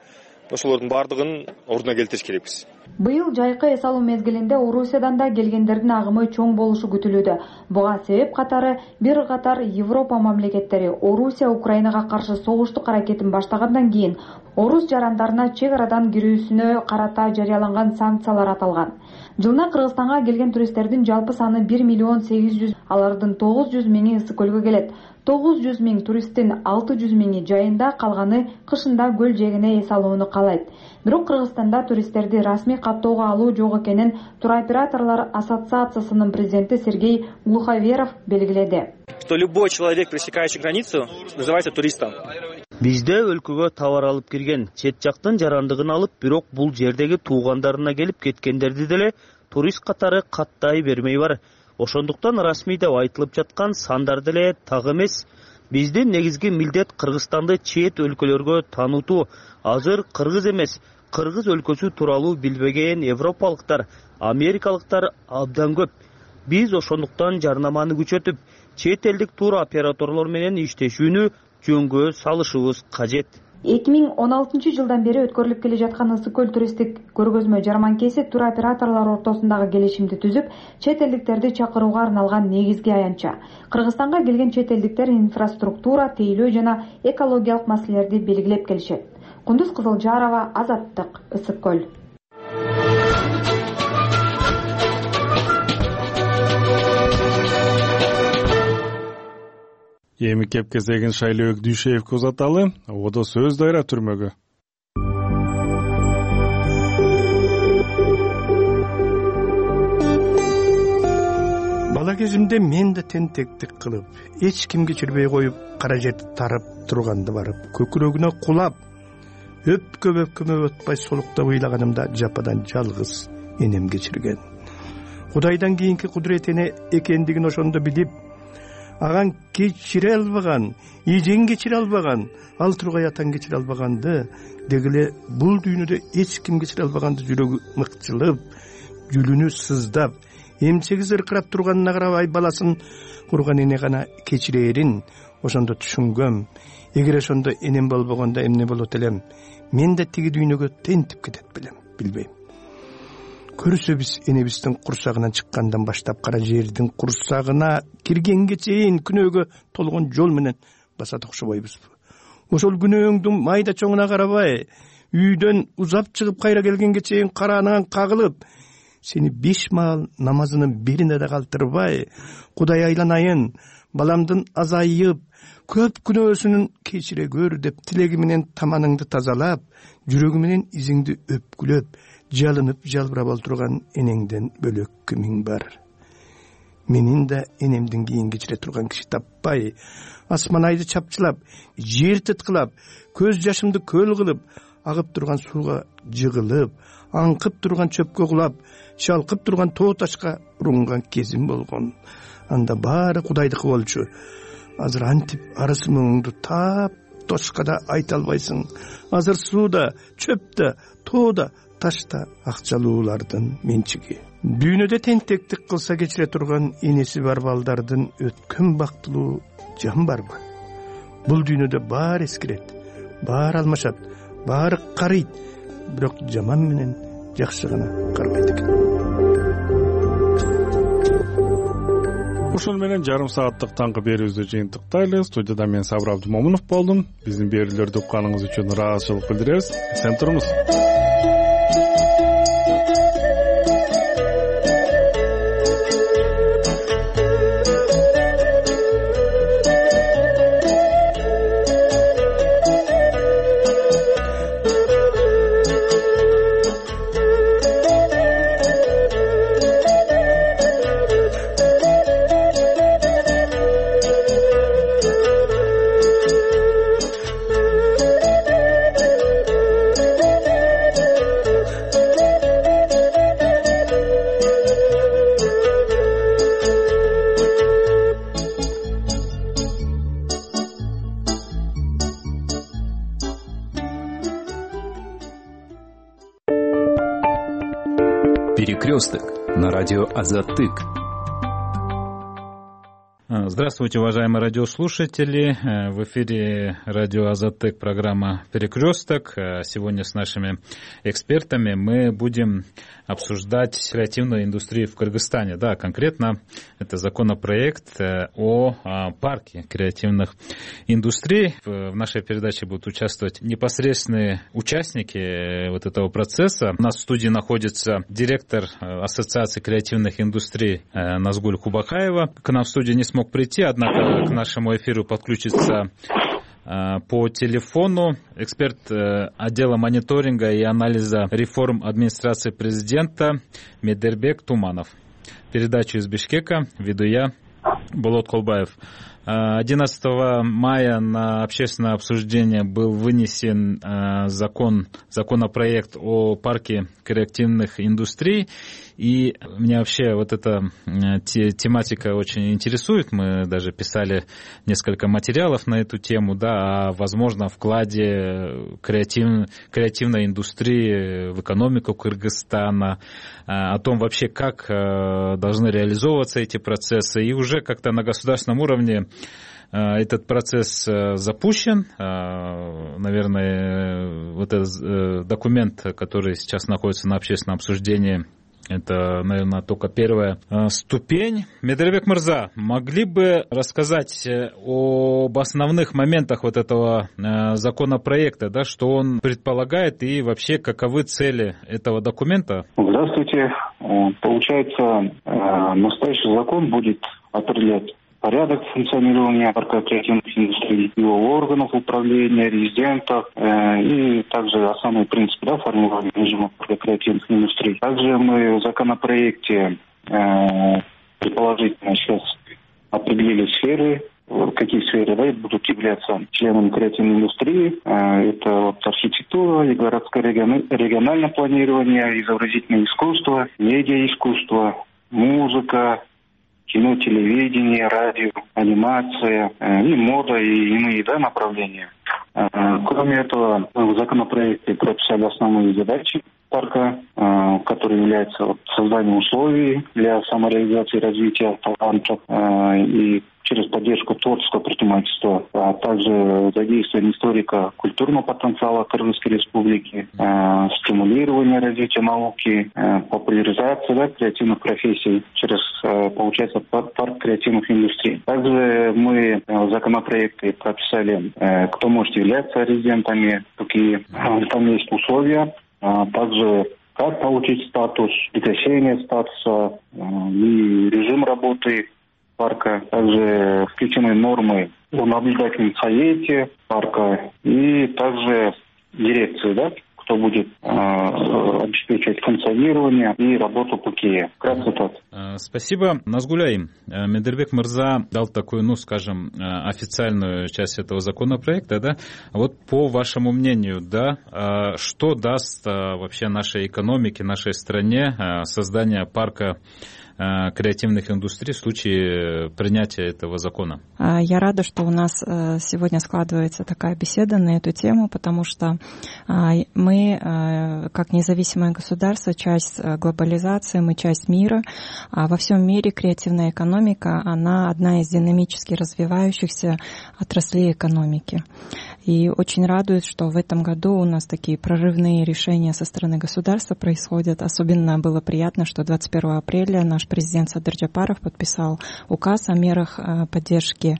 Ошолордун баардыгын ордуна келтириш керекпиз. Быйыл жайкы эс алуу мезгилинде Орусиядан да келгендердин агымы чоң болушу күтүлүүдө. Буга себеп катары бир катар Европа мамлекеттери Орусия Украинага каршы согуштук аракетин баштагандан кийин орус жарандарына чек арадан кирүүсүнө карата жарыяланган санкциялар аталган. Жылына Кыргызстанга келген туристтердин жалпы саны 1 миллион 800, алардын 900 миңи Ысык көлгө келет. 900 миң туристтин 600 миңи жайында, калганы кышында көл жээгине эс алууну каалайт. Бирок Кыргызстанда туристтерди расмий каттоого алуу жок экенин туроператорлор ассоциациясынын президенти Сергей Глуховеров белгиледи. Что любой человек, пересекающий границу, называется туристом. Бизде өлкөгө товар алып кирген, чет жактын жарандыгын алып, бирок бул жердеги туугандарына келип кеткендерди деле турист катары каттай бермей бар. Ошондуктан расмий деп айтылып жаткан сандар деле так эмес. Биздин негизги милдет Кыргызстанды чет өлкөлөргө таанытуу. Азыр кыргыз эмес, кыргыз өлкөсү тууралуу билбеген европалыктар, америкалыктар абдан көп. Биз ошондуктан жарнаманы күчөтүп, чет элдик тур операторлор менен иштешүүнү жөнгө салышыбыз кажет. 2016 жылдан бери өткөрүлүп келе жаткан Ысык көл туристтик көргөзмө жарманкеси туроператорлор ортосундагы келишимди түзүп, чет элдиктерди чакырууга арналган негизги аянтча. Кыргызстанга келген чет элдиктер инфраструктура, тейлөө жана экологиялык маселелерди белгилеп келишет. Кундуз Кызылжарова, Азаттык, Ысык көл. Эми кеп кезегин Шайлообек Дүйшеевке узаталы. Одо сөз дайра түрмөгө. Бала кезимде мен да тентектик кылып, эч ким кечирбей коюп, кара жерди тарап турганды барып, көкүрөгүнө кулап, өпкө өтпай солуктап ыйлаганымда жападан жалгыз энем кечирген. Кудайдан кийинки кудурет эне экендигин ошондо билип, аган кечире албаган, ийжең кечире албаган, ал тургай атаң кечире албаганды, дегиле бул дүйнөдө эч ким кечире албаганды жүрөгү мыкчылып, жүлүнү сыздап, эмчеги зыркырап турганына карабай баласын курган эне гана кечирээрин ошондо түшүнгөм. Эгер ошондо энем болбогондо эмне болот элем? Мен да тиги дүйнөгө тентип кетет белем, билбейм. Көрсө биз энебиздин курсагынан чыккандан баштап кара жердин курсагына киргенге чейин күнөөгө толгон жол менен басат окшобойбузбу? Ошол күнөөңдүн майда чоңуна карабай, үйдөн узап чыгып кайра келгенге чейин караанан кагылып, сени 5 маал намазынын бирине да калтырбай, Кудай айланайын, баламдын азайып, көп күнөөсүнүн кечире көр деп тилеги менен таманыңды тазалап, жүрөгү менен изиңди өпкүлөп, жалынып жалбырап олтурган энеңден бөлөк кимиң бар? Менин да энемдин кийин кечире турган киши таппай, асман айды чапчылап, жер тыткылап, көз жашымды көл кылып, агып турган сууга жыгылып, аңкып турган чөпкө кулап, шалкып турган тоо ташка урунган кезим болгон. Анда баары Кудайдыкы болчу. Азыр антип арысы муңуңду таап тошка да айта албайсың. Азыр сууда, чөптө, тоодо, ташта акчалуулардын менчиги. Дүйнөдө тентектик кылса кечире турган энеси бар балдардын өткөн бактылуу жан барбы? Бул дүйнөдө баары эскирет, баары алмашат, баары карыйт, бирок жаман менен жакшы гана карбайт экен. Ошону менен жарым сааттык таңкы берүүбүздү жыйынтыктайлы. Студияда мен Сабыр Абдумомунов болдум. Биздин берүүлөрдү укканыңыз үчүн ыраазычылык билдиребиз. Эсен туруңуз. Перекресток на радио Азаттык. Здравствуйте, уважаемые радиослушатели. В эфире радио Азаттык, программа «Перекресток». Сегодня с нашими экспертами мы будем обсуждать креативную индустрию в Кыргызстане. Да, конкретно это законопроект о парке креативных индустрий. В нашей передаче будут участвовать непосредственные участники вот этого процесса. У нас в студии находится директор Ассоциации креативных индустрий Назгуль Кубакаева. К нам в студию не смог прийти, однако к нашему эфиру подключится по телефону эксперт отдела мониторинга и анализа реформ администрации президента Медербек Туманов. Передачу из Бишкека веду я, Болот Колбаев. 11 мая на общественное обсуждение был вынесен законопроект о парке креативных индустрий. И меня вообще вот эта тематика очень интересует. Мы даже писали несколько материалов на эту тему, да, о возможном вкладе креативной индустрии в экономику Кыргызстана, о том вообще, как должны реализовываться эти процессы. И уже как-то на государственном уровне этот процесс запущен. Наверное, вот этот документ, который сейчас находится на общественном обсуждении, это, наверное, только первая ступень. Медербек Мырза, могли бы рассказать об основных моментах вот этого законопроекта, да, что он предполагает и вообще каковы цели этого документа? Здравствуйте. Получается, настоящий закон будет определять порядок функционирования парка креативных индустрий, его органов управления, резидентов и также основные принципы, да, формирования режима парка креативных индустрий. Также мы в законопроекте предположительно сейчас определили сферы, какие сферы, да, будут являться членами креативной индустрии. Это вот архитектура, и городское региональное планирование, изобразительное искусство, медиаискусство, музыка, кино, телевидение, радио, анимация, и мода, и иные, да, направления. Кроме этого, в законопроекте прописали основные задачи парка, которые являются созданием условий для самореализации и развития талантов и через поддержку творческого предпринимательства, а также задействование историко-культурного потенциала Кыргызской республики, стимулирование развития науки, популяризация, да, креативных профессий через, получается, парк креативных индустрий. Также мы в законопроекте прописали, кто может являться резидентами, какие там есть условия, также как получить статус, прекращение статуса и режим работы парка. Также включены нормы о наблюдательном совете парка и также дирекции, да, кто будет обеспечивать функционирование и работу ПКЕ. Вкратце так. Спасибо. Назгуляй, Медербек Мырза дал такую, скажем, официальную часть этого законопроекта, да? Вот по вашему мнению, да, что даст вообще нашей экономике, нашей стране создание парка креативных индустрий в случае принятия этого закона? Я рада, что у нас сегодня складывается такая беседа на эту тему, потому что мы, как независимое государство, часть глобализации, мы часть мира. Во всем мире креативная экономика, она одна из динамически развивающихся отраслей экономики. И очень радует, что в этом году у нас такие прорывные решения со стороны государства происходят. Особенно было приятно, что 21 апреля наш президент Садыр Джапаров подписал указ о мерах поддержки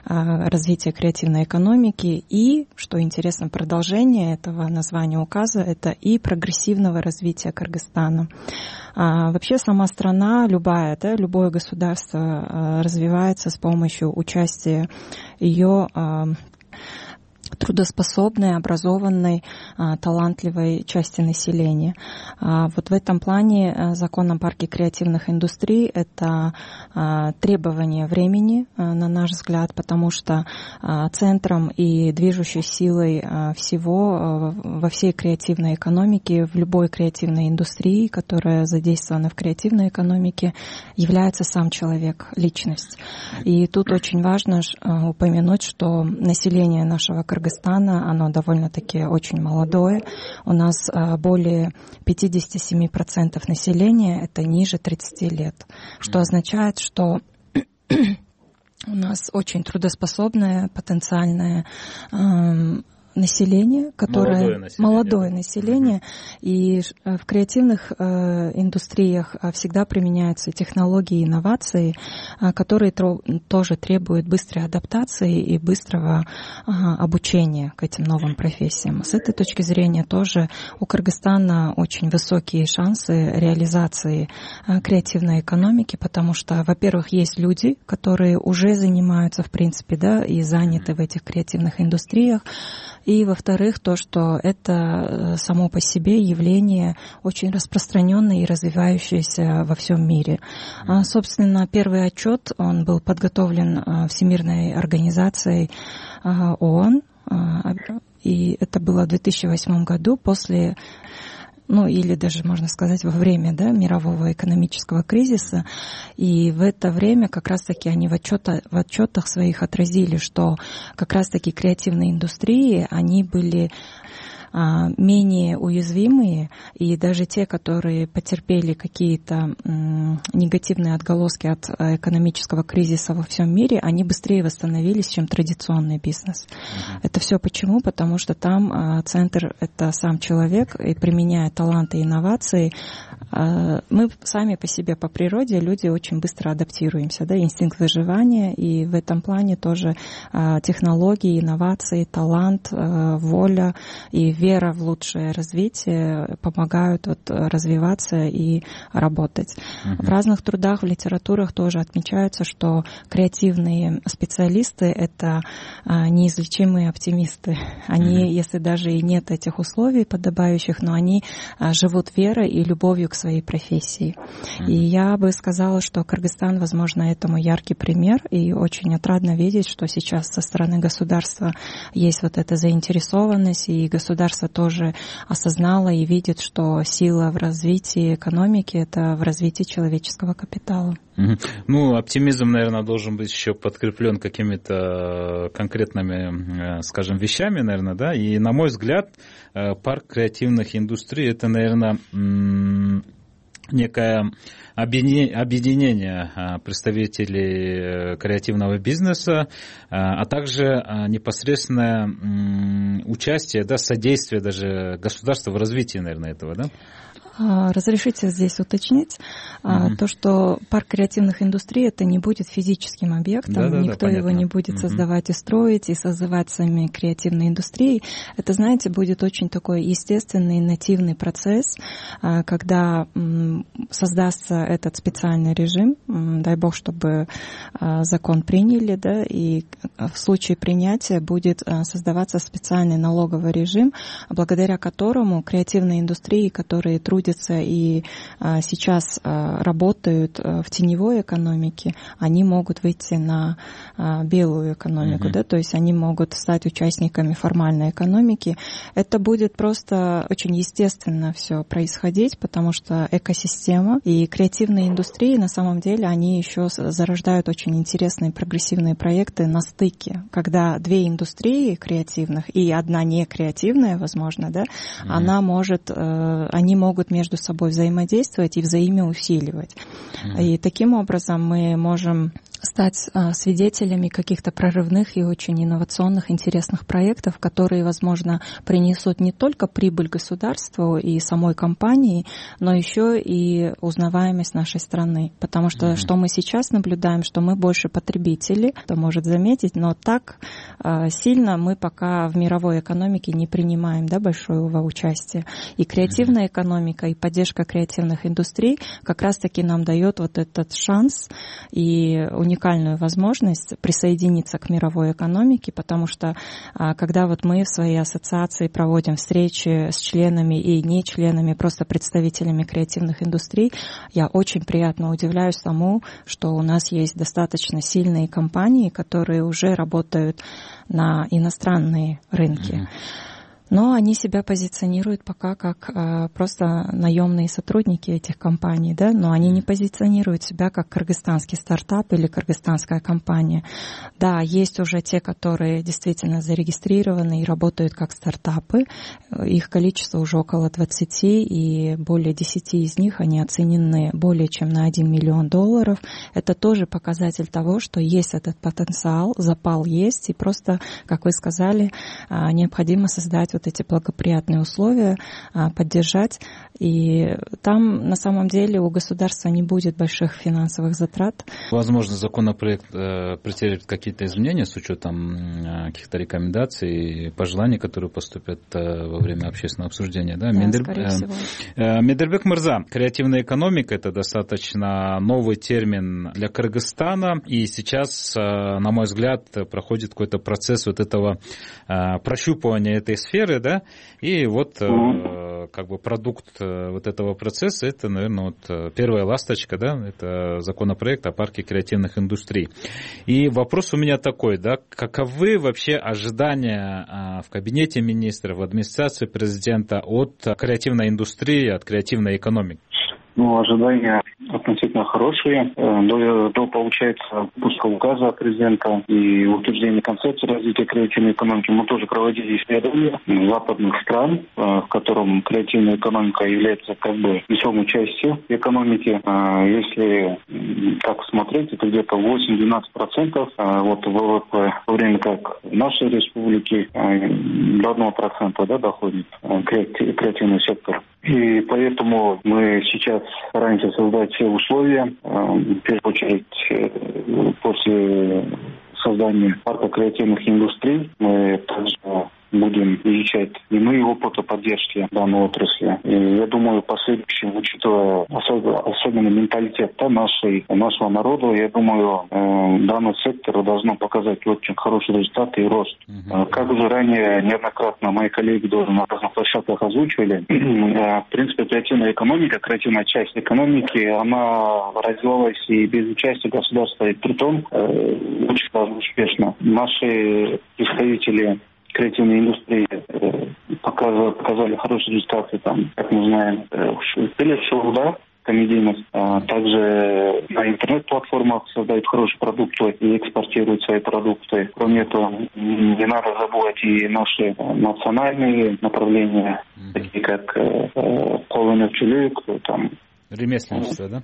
развития креативной экономики. И, что интересно, продолжение этого названия указа — это и прогрессивного развития Кыргызстана. Вообще сама страна, любое государство развивается с помощью участия ее трудоспособной, образованной, талантливой части населения. Вот в этом плане закон о парке креативных индустрий — это требование времени, на наш взгляд, потому что центром и движущей силой всего во всей креативной экономике, в любой креативной индустрии, которая задействована в креативной экономике, является сам человек, личность. И тут очень важно упомянуть, что население нашего Кыргызстана, оно довольно-таки очень молодое. У нас более 57% населения — это ниже 30 лет, что означает, что у нас очень трудоспособное, потенциальное население, которое молодое население, и в креативных индустриях всегда применяются технологии и инновации, которые тоже требуют быстрой адаптации и быстрого обучения к этим новым профессиям. С этой точки зрения тоже у Кыргызстана очень высокие шансы реализации креативной экономики, потому что, во-первых, есть люди, которые уже занимаются, в принципе, и заняты в этих креативных индустриях. И, во-вторых, то, что это само по себе явление очень распространенное и развивающееся во всем мире. Собственно, первый отчет, он был подготовлен Всемирной организацией ООН, и это было в 2008 году после или даже, можно сказать, во время мирового экономического кризиса. И в это время как раз-таки они в отчетах своих отразили, что как раз-таки креативные индустрии, они были менее уязвимые, и даже те, которые потерпели какие-то негативные отголоски от экономического кризиса во всем мире, они быстрее восстановились, чем традиционный бизнес. Это все почему? Потому что там центр — это сам человек, и применяя таланты и инновации, мы сами по себе, по природе, люди очень быстро адаптируемся, инстинкт выживания, и в этом плане тоже технологии, инновации, талант, воля и вера в лучшее развитие помогают развиваться и работать. В разных трудах, в литературах тоже отмечается, что креативные специалисты — это неизлечимые оптимисты. Они, если даже и нет этих условий подобающих, но они живут верой и любовью к своей профессии. И я бы сказала, что Кыргызстан, возможно, этому яркий пример, и очень отрадно видеть, что сейчас со стороны государства есть эта заинтересованность, и государство тоже осознало и видит, что сила в развитии экономики — это в развитии человеческого капитала. Оптимизм, наверное, должен быть еще подкреплен какими-то конкретными, скажем, вещами, наверное, И, на мой взгляд, парк креативных индустрий — это, наверное, некое объединение представителей креативного бизнеса, а также непосредственное участие, содействие даже государства в развитии, наверное, этого, Разрешите здесь уточнить то, что парк креативных индустрий это не будет физическим объектом, никто его не будет создавать и строить, и созывать сами креативные индустрии. Это, знаете, будет очень такой естественный, нативный процесс, когда создастся этот специальный режим, дай бог, чтобы закон приняли, да, и в случае принятия будет создаваться специальный налоговый режим, благодаря которому креативные индустрии, которые трудятся и сейчас работают в теневой экономике, они могут выйти на белую экономику, да, то есть они могут стать участниками формальной экономики. Это будет просто очень естественно все происходить, потому что экосистема и креативные индустрии на самом деле они еще зарождают очень интересные прогрессивные проекты на стыке, когда две индустрии креативных и одна не креативная, возможно, да, они могут между собой взаимодействовать и взаимоусиливать. И таким образом мы можем стать свидетелями каких-то прорывных и очень инновационных, интересных проектов, которые, возможно, принесут не только прибыль государству и самой компании, но еще и узнаваемость нашей страны. Потому что что мы сейчас наблюдаем, что мы больше потребители, кто может заметить, но так сильно мы пока в мировой экономике не принимаем, да, большого участия. И креативная экономика, и поддержка креативных индустрий как раз-таки нам дает вот этот шанс и уникальную возможность присоединиться к мировой экономике, потому что когда вот мы в своей ассоциации проводим встречи с членами и не членами, просто представителями креативных индустрий, я очень приятно удивляюсь тому, что у нас есть достаточно сильные компании, которые уже работают на иностранные рынки. Но они себя позиционируют пока как просто наемные сотрудники этих компаний, да, но они не позиционируют себя как кыргызстанский стартап или кыргызстанская компания. Да, есть уже те, которые действительно зарегистрированы и работают как стартапы. Их количество уже около 20, и более 10 из них, они оценены более чем на $1 миллион. Это тоже показатель того, что есть этот потенциал, запал есть, и просто, как вы сказали, необходимо создать вот эти благоприятные условия, поддержать. И там на самом деле у государства не будет больших финансовых затрат. Возможно, законопроект претерпит какие-то изменения с учетом каких-то рекомендаций и пожеланий, которые поступят во время общественного обсуждения. Да? Скорее всего. Медербек Мырза, креативная экономика — это достаточно новый термин для Кыргызстана. И сейчас, на мой взгляд, проходит какой-то процесс вот этого прощупывания этой сферы, да, и вот как бы продукт вот этого процесса — это, наверное, вот первая ласточка, да, это законопроект о парке креативных индустрий. И вопрос у меня такой, да, каковы вообще ожидания в кабинете министров, в администрации президента от креативной индустрии, от креативной экономики? Ожидания относительно хорошие. До получается, выпуска указа президента и утверждения концепции развития креативной экономики мы тоже проводили исследования западных стран, в котором креативная экономика является как бы весомой частью экономики. Если так смотреть, это где-то 8-12% вот ВВП, в то время как в нашей республике до 1%, да, доходит креативный сектор. И поэтому мы сейчас стараемся создать все условия, в первую очередь после создания парка креативных индустрий. Мы также будем изучать иные опыты поддержки данной отрасли. И я думаю, в последующем, учитывая особенно менталитет нашего народа, я думаю, данный сектор должно показать очень хорошие результаты и рост. Как уже ранее неоднократно мои коллеги на разных площадках озвучивали, в принципе, креативная экономика, креативная часть экономики, она развивалась и без участия государства, и притом очень даже успешно. Наши представители креативной индустрии показали хорошие результаты, там, как мы знаем, в телешоу, да, комедийность. Также на интернет-платформах создают хорошие продукты и экспортируют свои продукты. Кроме этого, не надо забывать и наши национальные направления, такие как колоночелюк, там, ремесленничество, да?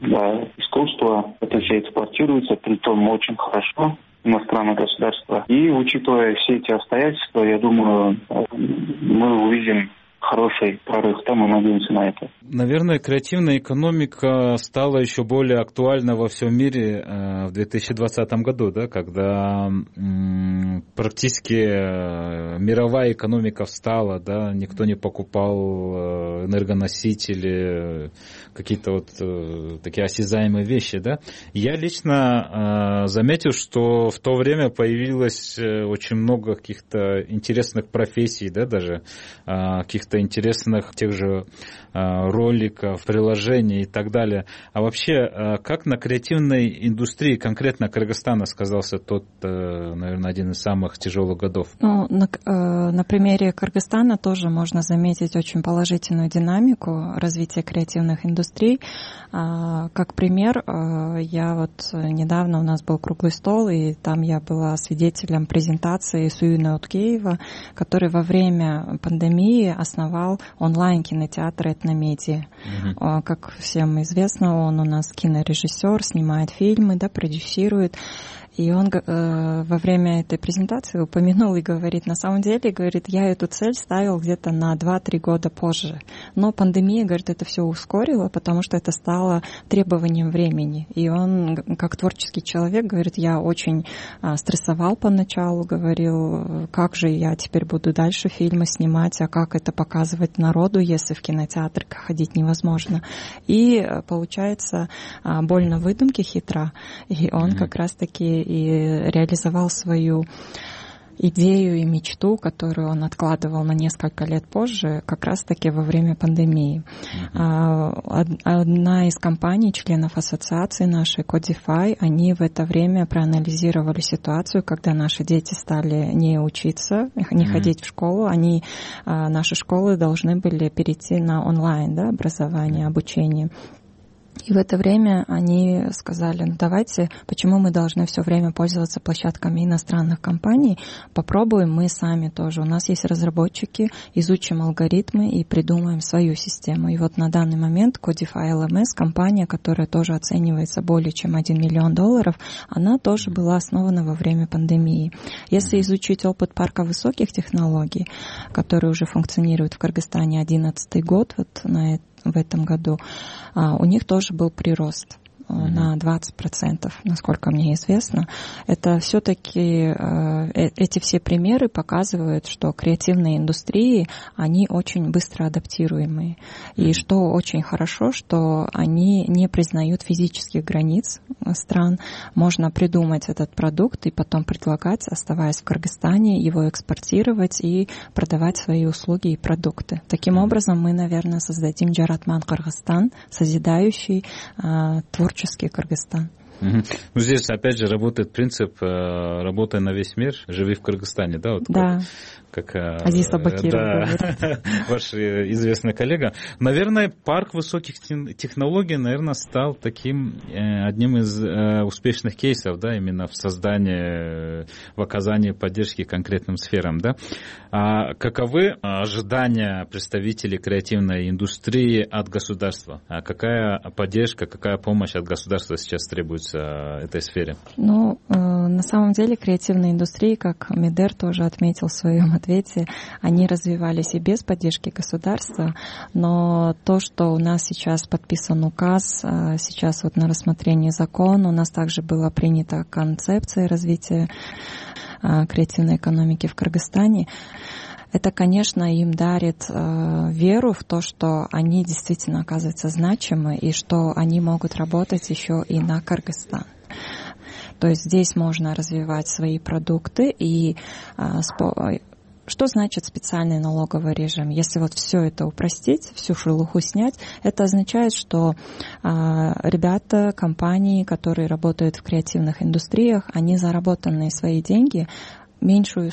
Да, искусство. Это все экспортируется, притом очень хорошо. Иностранное государство. И учитывая все эти обстоятельства, я думаю, мы увидим хороший прорыв, да, мы надеемся на это. Наверное, креативная экономика стала еще более актуальна во всем мире в 2020 году, да, когда практически мировая экономика встала, да, никто не покупал энергоносители, какие-то вот такие осязаемые вещи, да. Я лично заметил, что в то время появилось очень много каких-то интересных профессий, да, даже каких-то интересных тех же роликов, приложений и так далее. А вообще, как на креативной индустрии конкретно Кыргызстана сказался тот, наверное, один из самых тяжелых годов? Ну, на примере Кыргызстана тоже можно заметить очень положительную динамику развития креативных индустрий. Как пример, я вот недавно, у нас был круглый стол, и там я была свидетелем презентации Суюна Уткеева, который во время пандемии основал онлайн-кинотеатр «Этномедиа». Как всем известно, он у нас кинорежиссер, снимает фильмы, да, продюсирует. И он во время этой презентации упомянул и говорит, на самом деле, говорит, я эту цель ставил где-то на 2-3 года позже. Но пандемия, говорит, это все ускорила, потому что это стало требованием времени. И он, как творческий человек, говорит, я очень стрессовал поначалу, говорил, как же я теперь буду дальше фильмы снимать, а как это показывать народу, если в кинотеатр ходить невозможно. И получается, боль на выдумке хитра. И он как раз-таки и реализовал свою идею и мечту, которую он откладывал на несколько лет позже, как раз-таки во время пандемии. Одна из компаний, членов ассоциации нашей, Codify, они в это время проанализировали ситуацию, когда наши дети стали не учиться, не ходить в школу, наши школы должны были перейти на онлайн, да, образование, обучение. И в это время они сказали, ну давайте, почему мы должны все время пользоваться площадками иностранных компаний, попробуем мы сами тоже. У нас есть разработчики, изучим алгоритмы и придумаем свою систему. И вот на данный момент Codify LMS, компания, которая тоже оценивается более чем $1 миллион, она тоже была основана во время пандемии. Если изучить опыт парка высоких технологий, который уже функционирует в Кыргызстане 11-й год, вот в этом году, у них тоже был прирост на 20%, насколько мне известно. Это все-таки эти все примеры показывают, что креативные индустрии, они очень быстро адаптируемые. И что очень хорошо, что они не признают физических границ стран. Можно придумать этот продукт и потом предлагать, оставаясь в Кыргызстане, его экспортировать и продавать свои услуги и продукты. Таким образом, мы, наверное, создадим Жаратман Кыргызстан, созидающий творческий Кыргызстан. Ну, здесь, опять же, работает принцип «работай на весь мир, живи в Кыргызстане», да? Вот да. Как Азиз Абакиров говорит. Ваш известный коллега. Наверное, парк высоких технологий, наверное, стал таким одним из успешных кейсов, да, именно в создании, в оказании поддержки конкретным сферам, да. А каковы ожидания представителей креативной индустрии от государства? А какая поддержка, какая помощь от государства сейчас требуется этой сфере? Ну, на самом деле, креативные индустрии, как Медер тоже отметил в своем ответе, они развивались и без поддержки государства, но то, что у нас сейчас подписан указ, сейчас вот на рассмотрении закон, у нас также была принята концепция развития креативной экономики в Кыргызстане. Это, конечно, им дарит веру в то, что они действительно оказываются значимы и что они могут работать еще и на Кыргызстан. То есть здесь можно развивать свои продукты и что значит специальный налоговый режим? Если вот все это упростить, всю шелуху снять, это означает, что ребята, компании, которые работают в креативных индустриях, они заработанные свои деньги меньшую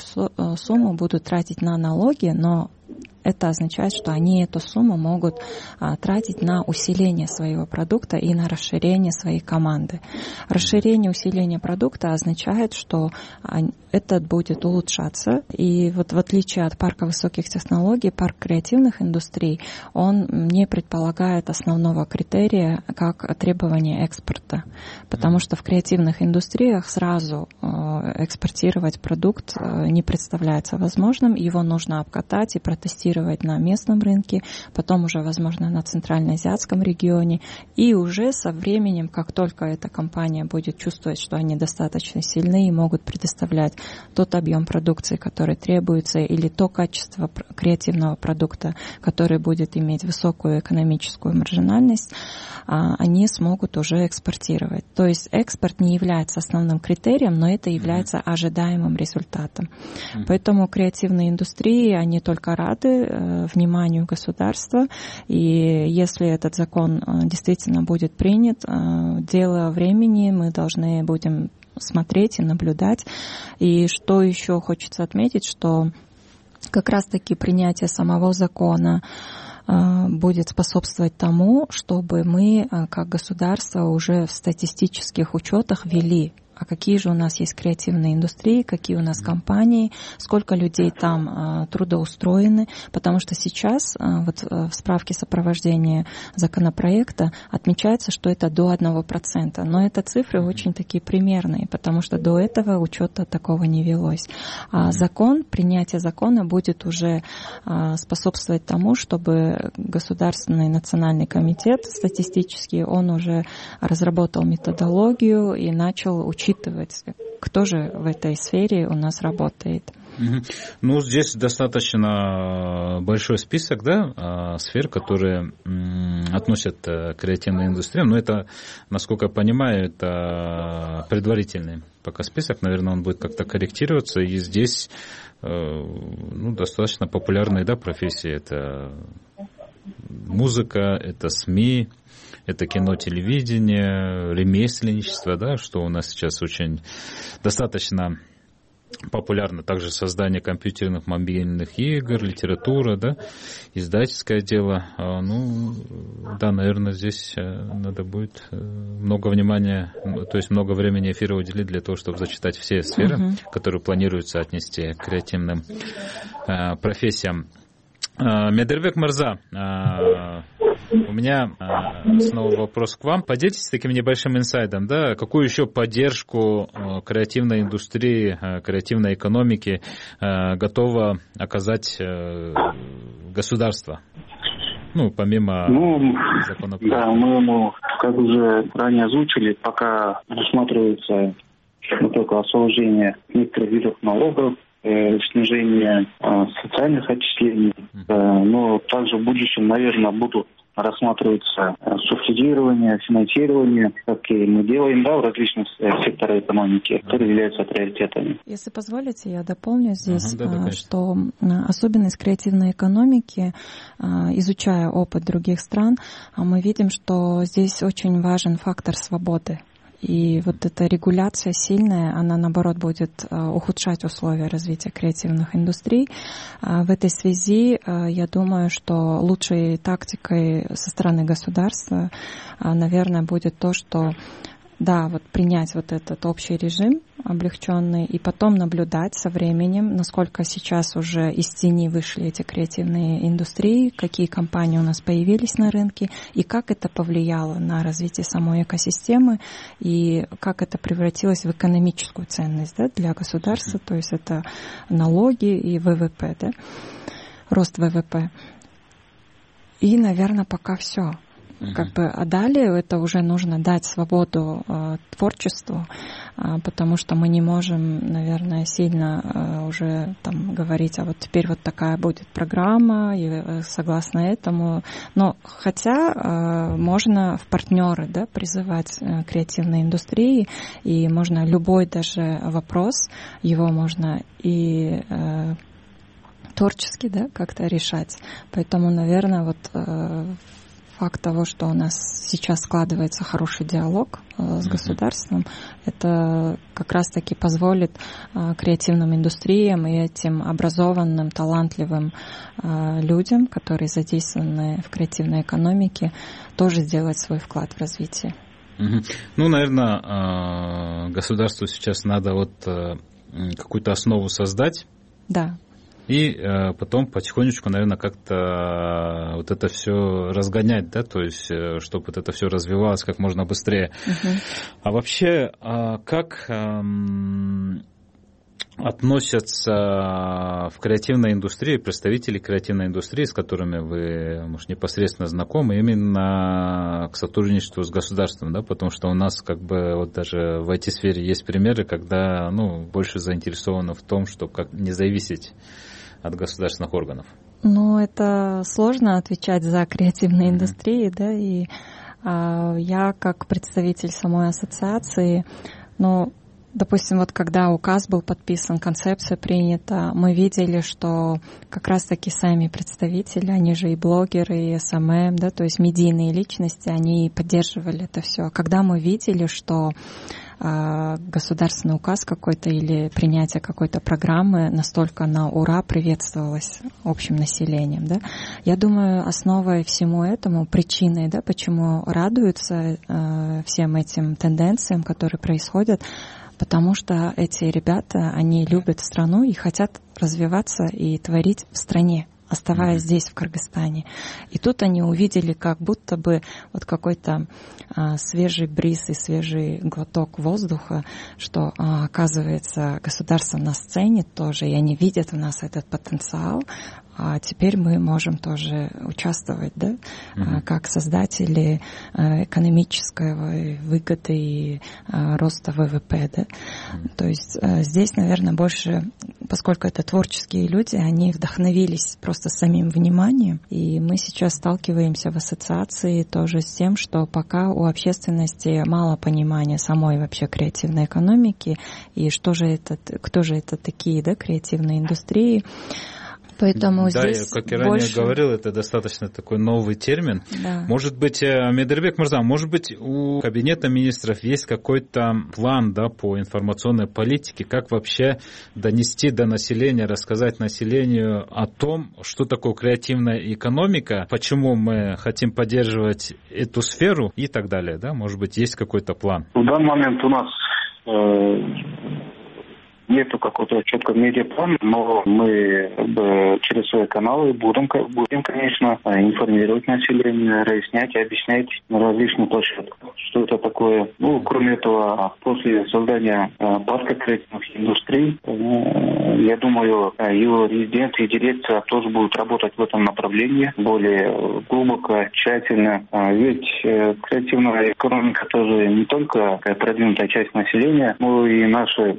сумму будут тратить на налоги, но это означает, что они эту сумму могут тратить на усиление своего продукта и на расширение своей команды. Расширение, усиление продукта означает, что этот будет улучшаться. И вот в отличие от парка высоких технологий, парк креативных индустрий, он не предполагает основного критерия как требование экспорта. Потому что в креативных индустриях сразу экспортировать продукт не представляется возможным. Его нужно обкатать и протестировать на местном рынке, потом уже, возможно, на центральноазиатском регионе. И уже со временем, как только эта компания будет чувствовать, что они достаточно сильны и могут предоставлять тот объем продукции, который требуется, или то качество креативного продукта, который будет иметь высокую экономическую маржинальность, они смогут уже экспортировать. То есть экспорт не является основным критерием, но это является ожидаемым результатом. Поэтому креативные индустрии, они только рады вниманию государства. И если этот закон действительно будет принят, дело времени, мы должны будем смотреть и наблюдать. И что еще хочется отметить, что как раз-таки принятие самого закона будет способствовать тому, чтобы мы, как государство, уже в статистических учетах ввели, а какие же у нас есть креативные индустрии, какие у нас компании, сколько людей там трудоустроены, потому что сейчас вот в справке сопровождения законопроекта отмечается, что это до 1%, но это цифры очень такие примерные, потому что до этого учета такого не велось. А принятие закона будет уже способствовать тому, чтобы Государственный национальный комитет статистический, он уже разработал методологию и начал учитывать, кто же в этой сфере у нас работает. Ну, здесь достаточно большой список, да, сфер, которые относят к креативной индустрии. Но это, насколько я понимаю, это предварительный пока список. Наверное, он будет как-то корректироваться. И здесь достаточно популярные, да, профессии. Это музыка, это СМИ, это кино, телевидение, ремесленничество, да, что у нас сейчас очень достаточно популярно. Также создание компьютерных, мобильных игр, литература, да, издательское дело. Да, наверное, здесь надо будет много внимания, то есть много времени эфира уделить для того, чтобы зачитать все сферы, которые планируется отнести к креативным профессиям. Медербек Мырза, у меня снова вопрос к вам. Поделитесь таким небольшим инсайдом, да, какую еще поддержку креативной индустрии, креативной экономики готово оказать государство? Помимо законопроекта. Да, мы, как уже ранее озвучили, пока рассматривается только освобождение некоторых видов налогов, снижение социальных отчислений, но также в будущем, наверное, будут рассматриваться субсидирование, финансирование, как и мы делаем, да, в различных секторах экономики, которые являются приоритетами. Если позволите, я дополню здесь, что особенность креативной экономики, изучая опыт других стран, мы видим, что здесь очень важен фактор свободы. И вот эта регуляция сильная, она, наоборот, будет ухудшать условия развития креативных индустрий. В этой связи я думаю, что лучшей тактикой со стороны государства, наверное, будет то, что принять вот этот общий режим облегченный и потом наблюдать со временем, насколько сейчас уже из тени вышли эти креативные индустрии, какие компании у нас появились на рынке и как это повлияло на развитие самой экосистемы и как это превратилось в экономическую ценность, да, для государства, то есть это налоги и ВВП, да, рост ВВП. И, наверное, пока все. А далее это уже нужно дать свободу творчеству, потому что мы не можем, наверное, сильно уже говорить, а вот теперь вот такая будет программа, и согласно этому. Но хотя можно в партнеры, да, призывать креативные индустрии, и можно любой даже вопрос, его можно и творчески, да, как-то решать. Поэтому, наверное, факт того, что у нас сейчас складывается хороший диалог с государством, это как раз-таки позволит креативным индустриям и этим образованным, талантливым людям, которые задействованы в креативной экономике, тоже сделать свой вклад в развитие. Наверное, государству сейчас надо какую-то основу создать. Да. И потом потихонечку, наверное, как-то это все разгонять, да, то есть, чтобы это все развивалось как можно быстрее. А вообще, как относятся в креативной индустрии, представители креативной индустрии, с которыми вы, может, непосредственно знакомы, именно к сотрудничеству с государством, да, потому что у нас как бы вот даже в IT-сфере есть примеры, когда, больше заинтересованы в том, чтобы как не зависеть от государственных органов. Это сложно отвечать за креативные индустрии, да, и я как представитель самой ассоциации, допустим, вот когда указ был подписан, концепция принята, мы видели, что как раз-таки сами представители, они же и блогеры, и СММ, да, то есть медийные личности, они поддерживали это все. Когда мы видели, что государственный указ какой-то или принятие какой-то программы настолько на ура приветствовалось общим населением, да, я думаю, основой всему этому, причиной, да, почему радуются всем этим тенденциям, которые происходят, потому что эти ребята, они любят страну и хотят развиваться и творить в стране, оставаясь здесь, в Кыргызстане. И тут они увидели как будто бы вот какой-то свежий бриз и свежий глоток воздуха, что, оказывается, государство на сцене тоже, и они видят в нас этот потенциал, а теперь мы можем тоже участвовать, да, как создатели экономической выгоды и роста ВВП, да. То есть здесь, наверное, больше, поскольку это творческие люди, они вдохновились просто самим вниманием, и мы сейчас сталкиваемся в ассоциации тоже с тем, что пока у общественности мало понимания самой вообще креативной экономики, и что же это, кто же это такие, да, креативные индустрии. Поэтому здесь я, как я ранее говорил, это достаточно такой новый термин. Да. Может быть, Медербек Мырза, может быть, у Кабинета министров есть какой-то план, да, по информационной политике, как вообще донести до населения, рассказать населению о том, что такое креативная экономика, почему мы хотим поддерживать эту сферу и так далее, да? Может быть, есть какой-то план? В данный момент у нас нету какого-то четкого медиаплана, но мы через свои каналы будем, конечно, информировать население, разъяснять, объяснять на различных площадках, что это такое. Кроме этого, после создания парка креативных индустрий, я думаю, его резиденты и дирекция тоже будут работать в этом направлении более глубоко, тщательно. Ведь креативная экономика тоже не только продвинутая часть населения, но и наши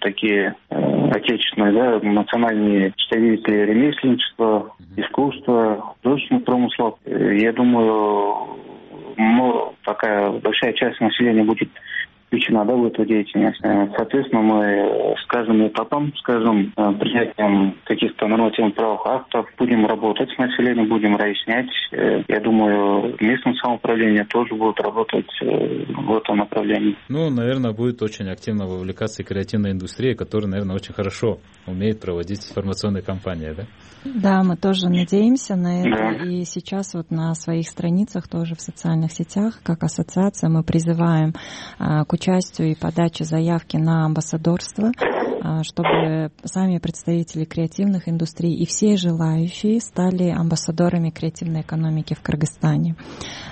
такие отечественные, да, национальные представители ремесленничества, искусства, художественных промыслов. Я думаю, такая большая часть населения будет включена, да, в эту деятельность. Соответственно, мы с каждым этапом, с каждым принятием каких-то нормативных правовых актов будем работать с населением, будем разъяснять. Я думаю, местное самоуправление тоже будет работать в этом направлении. Наверное, будет очень активно вовлекаться и креативная индустрия, которая, наверное, очень хорошо умеет проводить информационные кампании, да? Да, мы тоже надеемся на это. Да. И сейчас вот на своих страницах тоже в социальных сетях, как ассоциация, мы призываем к участию и подаче заявки на амбассадорство, чтобы сами представители креативных индустрий и все желающие стали амбассадорами креативной экономики в Кыргызстане.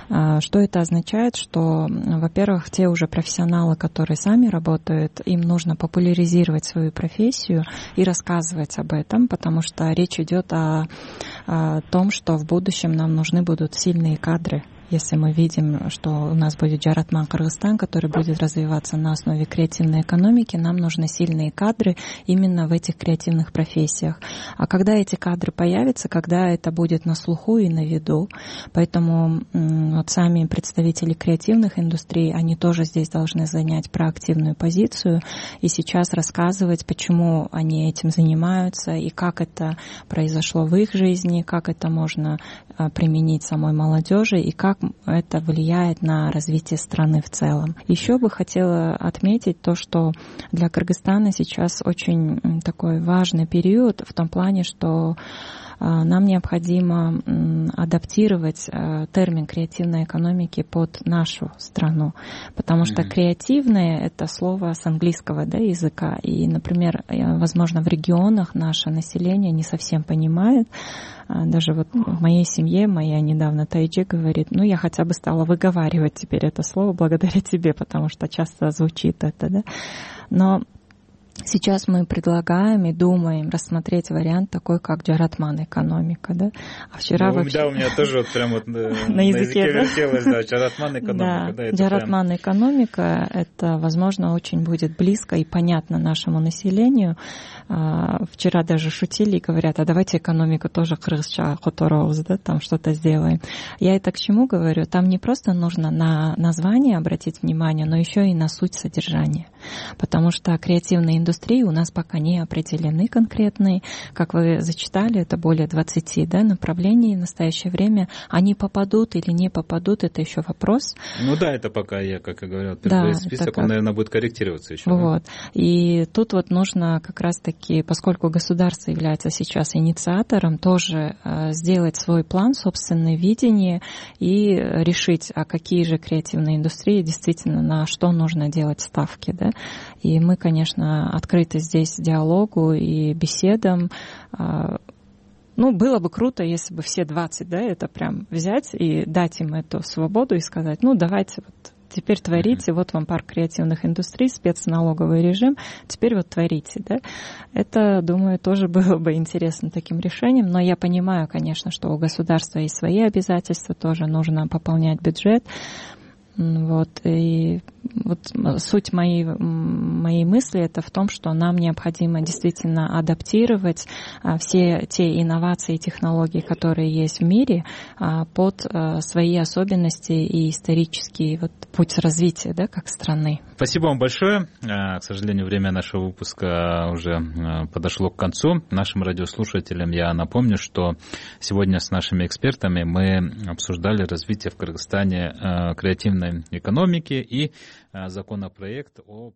Что это означает? Что, во-первых, те уже профессионалы, которые сами работают, им нужно популяризировать свою профессию и рассказывать об этом, потому что речь идет о том, что в будущем нам нужны будут сильные кадры. Если мы видим, что у нас будет Жаратман Кыргызстан, который будет развиваться на основе креативной экономики, нам нужны сильные кадры именно в этих креативных профессиях. А когда эти кадры появятся, когда это будет на слуху и на виду, поэтому вот сами представители креативных индустрий, они тоже здесь должны занять проактивную позицию и сейчас рассказывать, почему они этим занимаются и как это произошло в их жизни, как это можно применить самой молодежи и как это влияет на развитие страны в целом. Еще бы хотела отметить то, что для Кыргызстана сейчас очень такой важный период в том плане, что нам необходимо адаптировать термин креативной экономики под нашу страну, потому что креативное — это слово с английского, да, языка, и, например, возможно, в регионах наше население не совсем понимает. Даже вот в моей семье, моя недавно Тайджи говорит, я хотя бы стала выговаривать теперь это слово благодаря тебе, потому что часто звучит это, да. Но Сейчас мы предлагаем и думаем рассмотреть вариант такой, как джаратман экономика, да? А вчера вообще... Да, у меня тоже вот прям вот на языке вертелось, да, джаратман экономика. Да, джаратман экономика, это, возможно, очень будет близко и понятно нашему населению. Вчера даже шутили и говорят, а давайте экономику тоже кыргызча которобуз, да, там что-то сделаем. Я это к чему говорю? Там не просто нужно на название обратить внимание, но еще и на суть содержания. Потому что креативные индустрии у нас пока не определены конкретные. Как вы зачитали, это более 20 направлений в настоящее время. Они попадут или не попадут, это еще вопрос. Ну да, это пока я, как и говорил, первый список, он, наверное, будет корректироваться еще. Вот. Да? И тут вот нужно как раз-таки, поскольку государство является сейчас инициатором, тоже сделать свой план, собственное видение и решить, а какие же креативные индустрии действительно на что нужно делать ставки, да. И мы, конечно, открыты здесь диалогу и беседам. Ну, было бы круто, если бы все 20, да, это прям взять и дать им эту свободу и сказать, ну, давайте вот теперь творите, вот вам парк креативных индустрий, спецналоговый режим, теперь вот творите, да. Это, думаю, тоже было бы интересно таким решением, но я понимаю, конечно, что у государства есть свои обязательства, тоже нужно пополнять бюджет. Вот, и вот суть моей мысли это в том, что нам необходимо действительно адаптировать все те инновации и технологии, которые есть в мире, под свои особенности и исторический вот путь развития, да, как страны. Спасибо вам большое. К сожалению, время нашего выпуска уже подошло к концу. Нашим радиослушателям я напомню, что сегодня с нашими экспертами мы обсуждали развитие в Кыргызстане креативной экономики и законопроект о